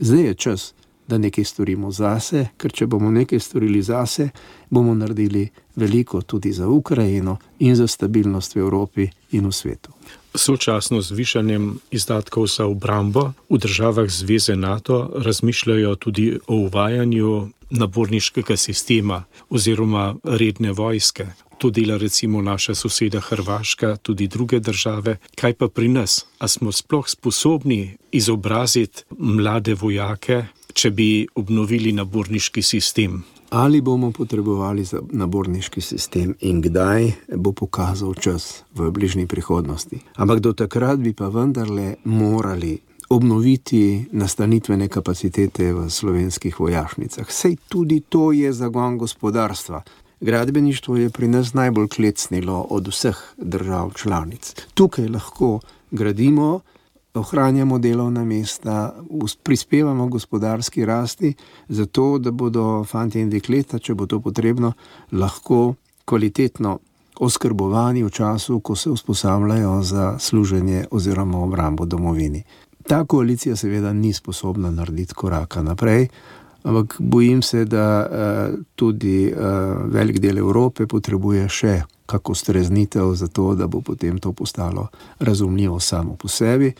Zdaj je čas, da nekaj storimo zase, ker če bomo nekaj storili zase, bomo naredili veliko tudi za Ukrajino in za stabilnost v Evropi in v svetu. Sočasno z višanjem izdatkov za obrambo v državah Zveze NATO razmišljajo tudi o uvajanju naborniškega sistema oziroma redne vojske. To dela recimo naša soseda Hrvaška, tudi druge države. Kaj pa pri nas? A smo sploh sposobni izobraziti mlade vojake, če bi obnovili naborniški sistem? Ali bomo potrebovali naborniški sistem in kdaj, bo pokazal čas v bližnji prihodnosti. Ampak do takrat bi pa vendarle morali obnoviti nastanitvene kapacitete v slovenskih vojašnicah. Sej tudi to je zagon gospodarstva. Gradbeništvo je pri nas najbolj klecnilo od vseh držav članic. Tukaj lahko gradimo, ohranjamo delovna mesta, prispevamo gospodarski rasti, zato da bodo fantje in dekleta, če bo to potrebno, lahko kvalitetno oskrbovani v času, ko se usposabljajo za služenje oziroma obrambo domovini. Ta koalicija seveda ni sposobna narediti koraka naprej, ampak bojim se, da tudi velik del Evrope potrebuje še kako streznitev za to, da bo potem to postalo razumljivo samo po sebi.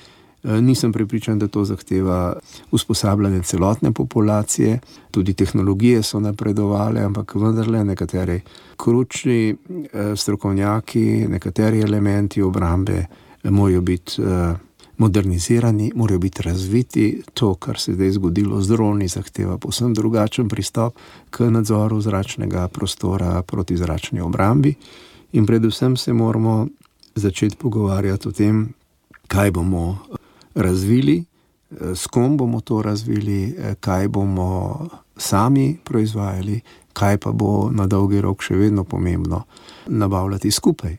Nisem prepričan, da to zahteva usposabljanje celotne populacije, tudi tehnologije so napredovale, ampak vendarle nekateri kručni strokovnjaki, nekateri elementi obrambe morajo biti modernizirani, morajo biti razviti. To, kar se zdaj zgodilo z droni, zahteva povsem drugačen pristop k nadzoru zračnega prostora proti zračni obrambi. In predvsem se moramo začeti pogovarjati o tem, kaj bomo razvili, s kom bomo to razvili, kaj bomo sami proizvajali, kaj pa bo na dolgi rok še vedno pomembno nabavljati skupaj.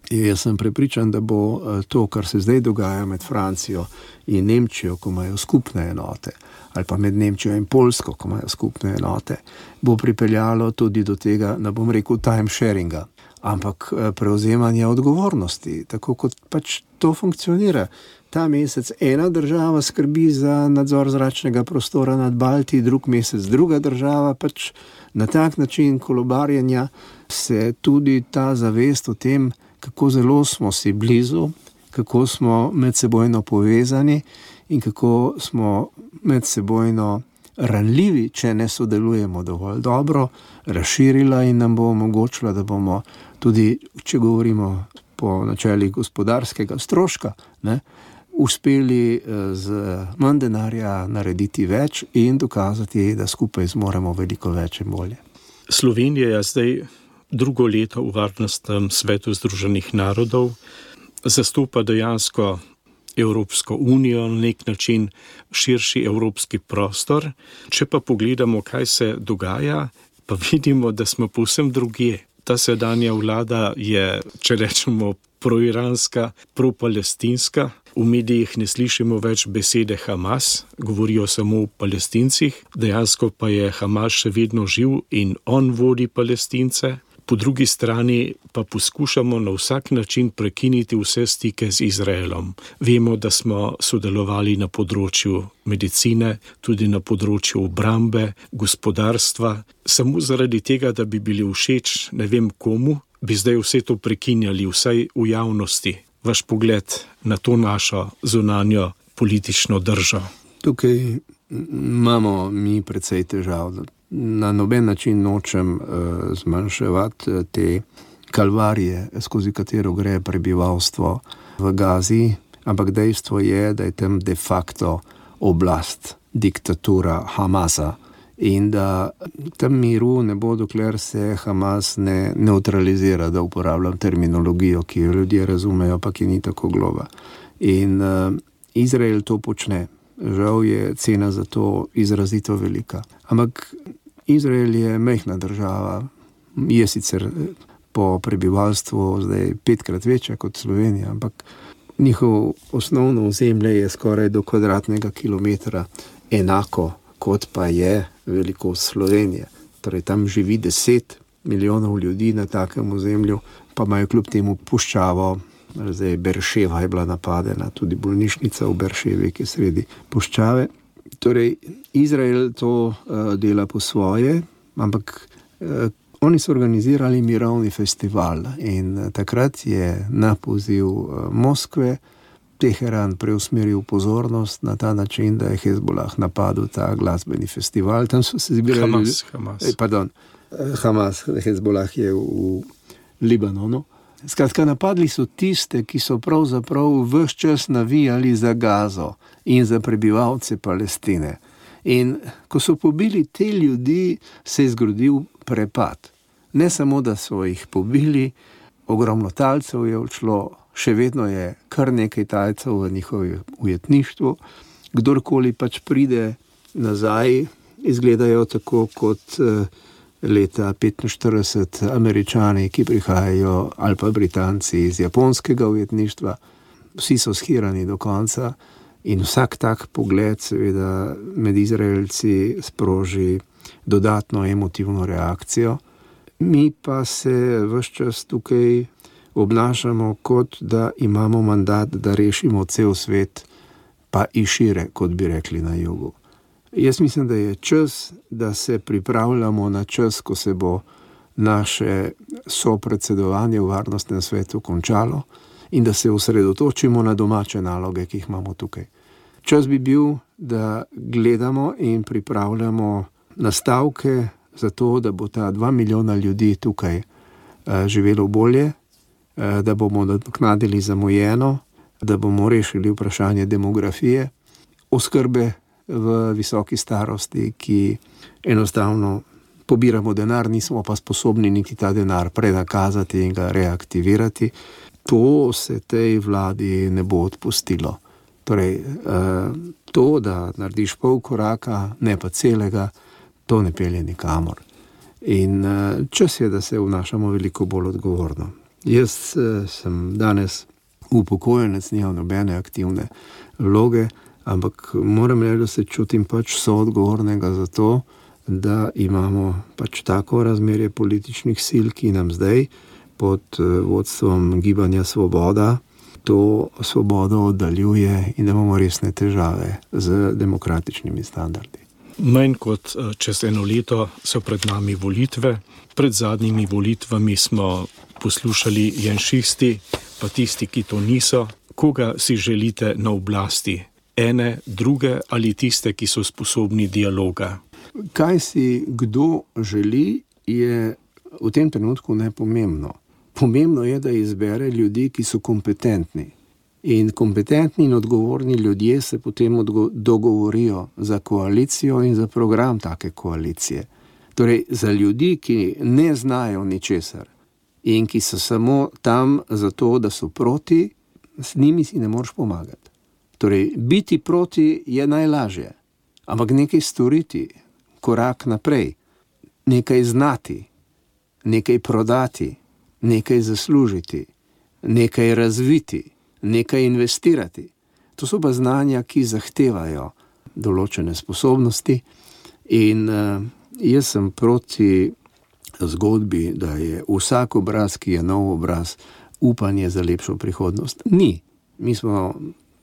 Jaz sem prepričan, da bo to, kar se zdaj dogaja med Francijo in Nemčijo, ko imajo skupne enote, ali pa med Nemčijo in Poljsko, ko imajo skupne enote, bo pripeljalo tudi do tega, ne bom rekel time sharinga, ampak prevzemanja odgovornosti, tako kot pač to funkcionira. Ta mesec ena država skrbi za nadzor zračnega prostora nad Balti, drug mesec druga država, pač na tak način kolobarjenja se tudi ta zavest o tem, kako zelo smo si blizu, kako smo medsebojno povezani in kako smo medsebojno ranljivi, če ne sodelujemo dovolj dobro, razširila in nam bo omogočila, da bomo tudi, če govorimo po načelih gospodarskega stroška, uspeli z manj denarja narediti več in dokazati, da skupaj zmoremo veliko več in bolje. Slovenija je zdaj drugo leto v Varnostnem svetu Združenih narodov, zastopa dejansko Evropsko unijo, na nek način širši evropski prostor. Če pa pogledamo, kaj se dogaja, pa vidimo, da smo povsem drugje. Ta sedanja vlada je, če rečemo, proiranska, propalestinska. V medijih ne slišimo več besede Hamas, govorijo samo o Palestincih, dejansko pa je Hamas še vedno živ in on vodi Palestince. Po drugi strani pa poskušamo na vsak način prekiniti vse stike z Izraelom. Vemo, da smo sodelovali na področju medicine, tudi na področju obrambe, gospodarstva. Samo zaradi tega, da bi bili všeč ne vem komu, bi zdaj vse to prekinjali, vsaj v javnosti. Vaš pogled na to našo zunanjo politično držo. Tukaj imamo mi precej težav. Na noben način nočem zmanjševati te kalvarije, skozi katero gre prebivalstvo v Gazi, ampak dejstvo je, da je tam de facto oblast, diktatura Hamasa in da tam miru ne bo, dokler se Hamas ne neutralizira, da uporabljam terminologijo, ki jo ljudje razumejo, pa ki ni tako globa. In Izrael to počne. Žal je cena za to izrazito velika. Ampak Izrael je majhna država, je sicer po prebivalstvu zdaj 5-krat večja kot Slovenija, ampak njihov osnovno ozemlje je skoraj do kvadratnega kilometra enako, kot pa je velikost Slovenije. Torej tam živi 10 milijonov ljudi na takem ozemlju, pa imajo kljub temu puščavo. Zdaj Berševa je bila napadena, tudi bolnišnica v Berševi, ki je sredi puščave. Torej, Izrael to dela po svoje, ampak oni so organizirali mirovni festival in takrat je na poziv Moskve Teheran preusmeril pozornost na ta način, da je Hezbollah napadel ta glasbeni festival. Tam so se zbirali Hamas, Hezbollah je v Libanonu. Skratka, napadli so tiste, ki so pravzaprav ves čas navijali za Gazo in za prebivalce Palestine. In ko so pobili te ljudi, se je zgodil prepad. Ne samo, da so jih pobili, ogromno talcev je odšlo, še vedno je kar nekaj talcev v njihovem ujetništvu. Kdorkoli pač pride nazaj, izgledajo tako kot leta 1945 Američani, ki prihajajo, ali pa Britanci iz japonskega ujetništva. Vsi so shirani do konca in vsak tak pogled seveda med Izraelci sproži dodatno emotivno reakcijo. Mi pa se ves čas tukaj obnašamo, kot da imamo mandat, da rešimo cel svet, pa i šire, kot bi rekli na jugu. Jaz mislim, da je čas, da se pripravljamo na čas, ko se bo naše sopredsedovanje v varnostnem svetu končalo in da se osredotočimo na domače naloge, ki jih imamo tukaj. Čas bi bil, da gledamo in pripravljamo nastavke za to, da bo ta 2 milijona ljudi tukaj živelo bolje, da bomo nadoknadili zamujeno, da bomo rešili vprašanje demografije, oskrbe v visoki starosti, ki enostavno pobiramo denar, nismo pa sposobni niti ta denar prenakazati in ga reaktivirati. To se tej vladi ne bo odpustilo. Torej, to, da narediš pol koraka, ne pa celega, to ne pelje nikamor. In čas je, da se vnašamo veliko bolj odgovorno. Jaz sem danes upokojenec, nimam nobene aktivne vloge, ampak moram reči, da se čutim pač soodgovornega za to, da imamo pač tako razmerje političnih sil, ki nam zdaj pod vodstvom Gibanja Svoboda to svobodo oddaljuje in da imamo resne težave z demokratičnimi standardi. Manj kot čez 1 leto so pred nami volitve. Pred zadnjimi volitvami smo poslušali janšisti, pa tisti, ki to niso. Koga si želite na oblasti? Ene, druge ali tiste, ki so sposobni dialoga? Kaj si kdo želi, je v tem trenutku nepomembno. Pomembno je, da izbere ljudi, ki so kompetentni. In kompetentni in odgovorni ljudje se potem dogovorijo za koalicijo in za program take koalicije. Torej, za ljudi, ki ne znajo ničesar in ki so samo tam zato, da so proti, s njimi si ne moreš pomagati. Torej, biti proti je najlažje, ampak nekaj storiti, korak naprej, nekaj znati, nekaj prodati, nekaj zaslužiti, nekaj razviti, nekaj investirati. To so pa znanja, ki zahtevajo določene sposobnosti in jaz sem proti zgodbi, da je vsak obraz, ki je nov obraz, upanje za lepšo prihodnost. Ni. Mi smo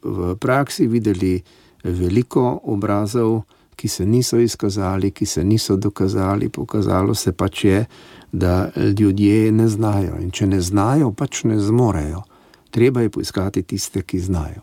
v praksi videli veliko obrazov, ki se niso izkazali, ki se niso dokazali, pokazalo se pač je, da ljudje ne znajo in če ne znajo, pač ne zmorejo. Treba je poiskati tiste, ki znajo.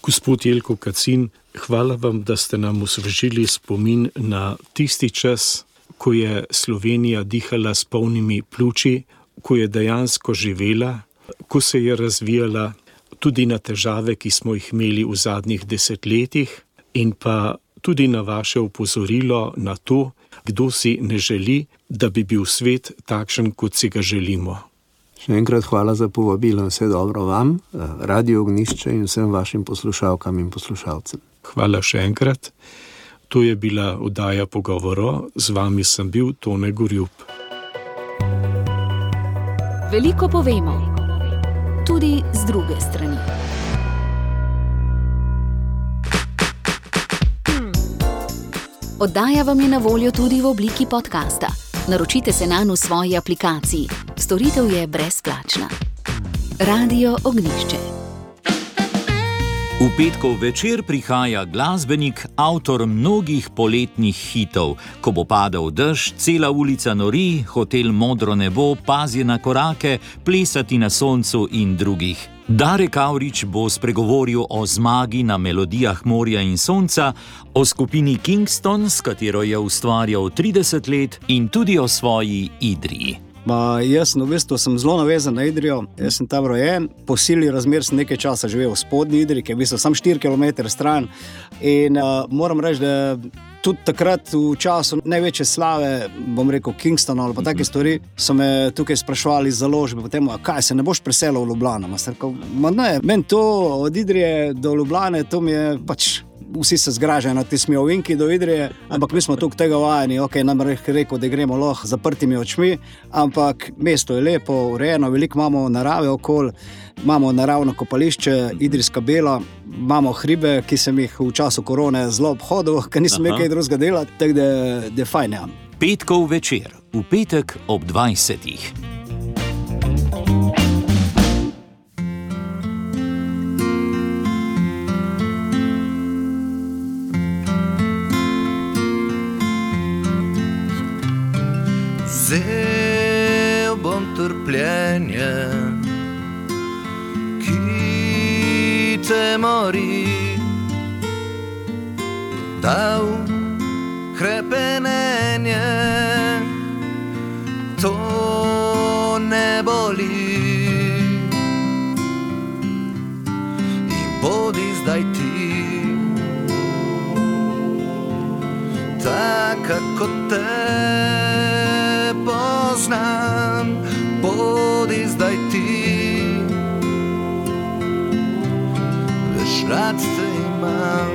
Gospod Jelko Kacin, hvala vam, da ste nam osvežili spomin na tisti čas, ko je Slovenija dihala s polnimi pljuči, ko je dejansko živela, ko se je razvijala, tudi na težave, ki smo jih imeli v zadnjih 10 letih, in pa tudi na vaše opozorilo na to, kdo si ne želi, da bi bil svet takšen, kot si ga želimo. Še enkrat hvala za povabilo, vse dobro vam, Radio Ognjišče in vsem vašim poslušalkam in poslušalcem. Hvala še enkrat. To je bila oddaja Pogovoro, z vami sem bil Tone Gorjup. Veliko povemo, tudi z druge strani. Oddaja vam je na voljo tudi v obliki podcasta. Naročite se nanj v svoji aplikaciji. Storitev je brezplačna. Radio Ognjišče. V petkov večer prihaja glasbenik, avtor mnogih poletnih hitov. Ko bo padal dež, cela ulica nori, hotel Modro nebo, Pazi na korake, Plesati na soncu in drugih. Darek Avrič bo spregovoril o zmagi na melodijah morja in sonca, o skupini Kingston, s katero je ustvarjal 30 let, in tudi o svoji Idriji. Jaz v bistvu sem zelo navezan na Idrijo, jaz sem tam rojen, po sili razmer sem nekaj časa živel v spodnji Idriji, ki je v bistvu sam 4 km stran, in moram reči, da tudi takrat v času največje slave, bom rekel Kingston ali pa take stvari, so me tukaj sprašvali iz založbe, potem, kaj se ne boš preselil v Ljubljano? Ne, meni to od Idrije do Ljubljane, to mi je pač, vsi se zgražajo na ti smejovinki do Idrije, ampak mi smo tukaj tega vajeni, nam rekel, da gremo lahko zaprtimi očmi, ampak mesto je lepo, urejeno, veliko imamo narave okoli, imamo naravno kopališče, Idrijska Bela, imamo hribe, ki sem jih v času korone zelo obhodil, ker nisem nekaj drugega delati, tako da je fajn. Ja. Petkov večer, v petek ob 20. Vzel bom trpljenje, ki te mori, dal hrepenenje, to ne boli. In bodi zdaj ti, taka kot te poznam, bodi zdaj ti, veš, rad te imam.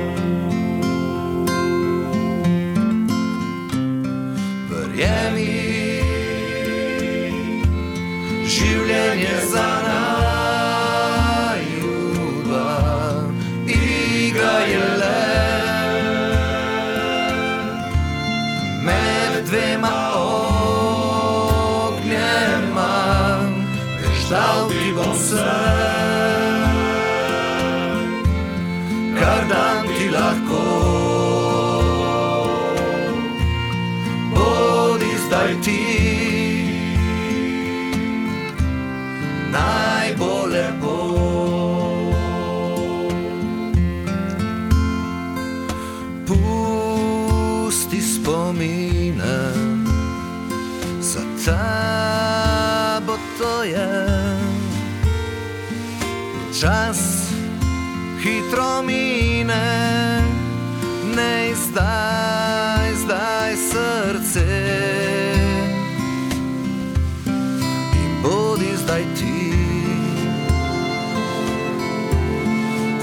Verjemi, življenje za naju dva, igra je le med dvema dal ti bom vse, kar dam ti lahko. Bodi zdaj ti, naj bo lepo. Pusti spomine, za tabo to je. Čas hitro mine, ne zdaj srce. In bodi zdaj ti,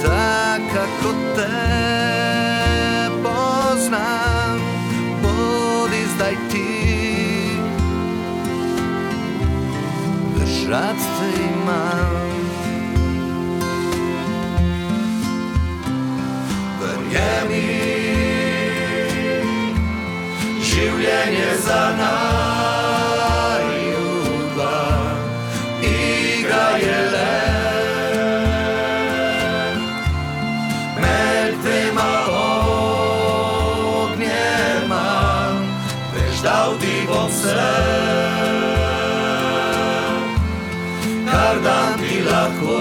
taka kot te poznam, bodi zdaj ti, veš, rad te imam. Življenje za naju dva, igra je le med dvema ognjema, veš, dal ti bom vse, kar dam ti lahko.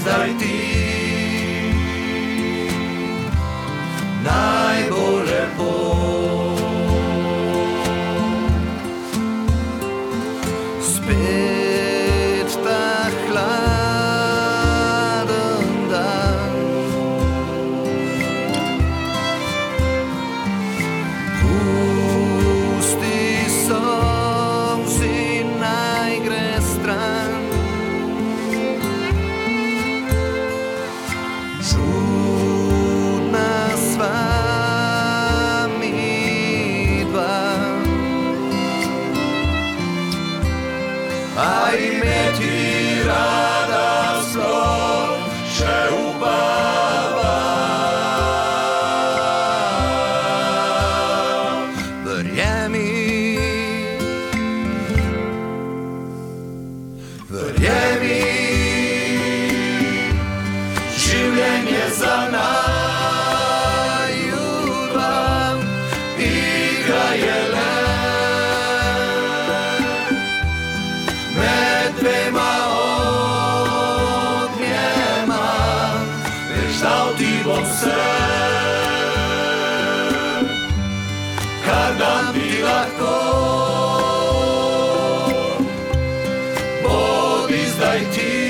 Zdaj ti, naj bo lepo. Spet ta hladen dan, pusti solzi, naj gre stran. Čudna sva mi dva, a imeti rada sploh še upava. Verjemi, za naju dva igra jelen. Med dvema ognjema, veš, dal ti bom vse, kar dan bi lahko. Bodi zdaj ti.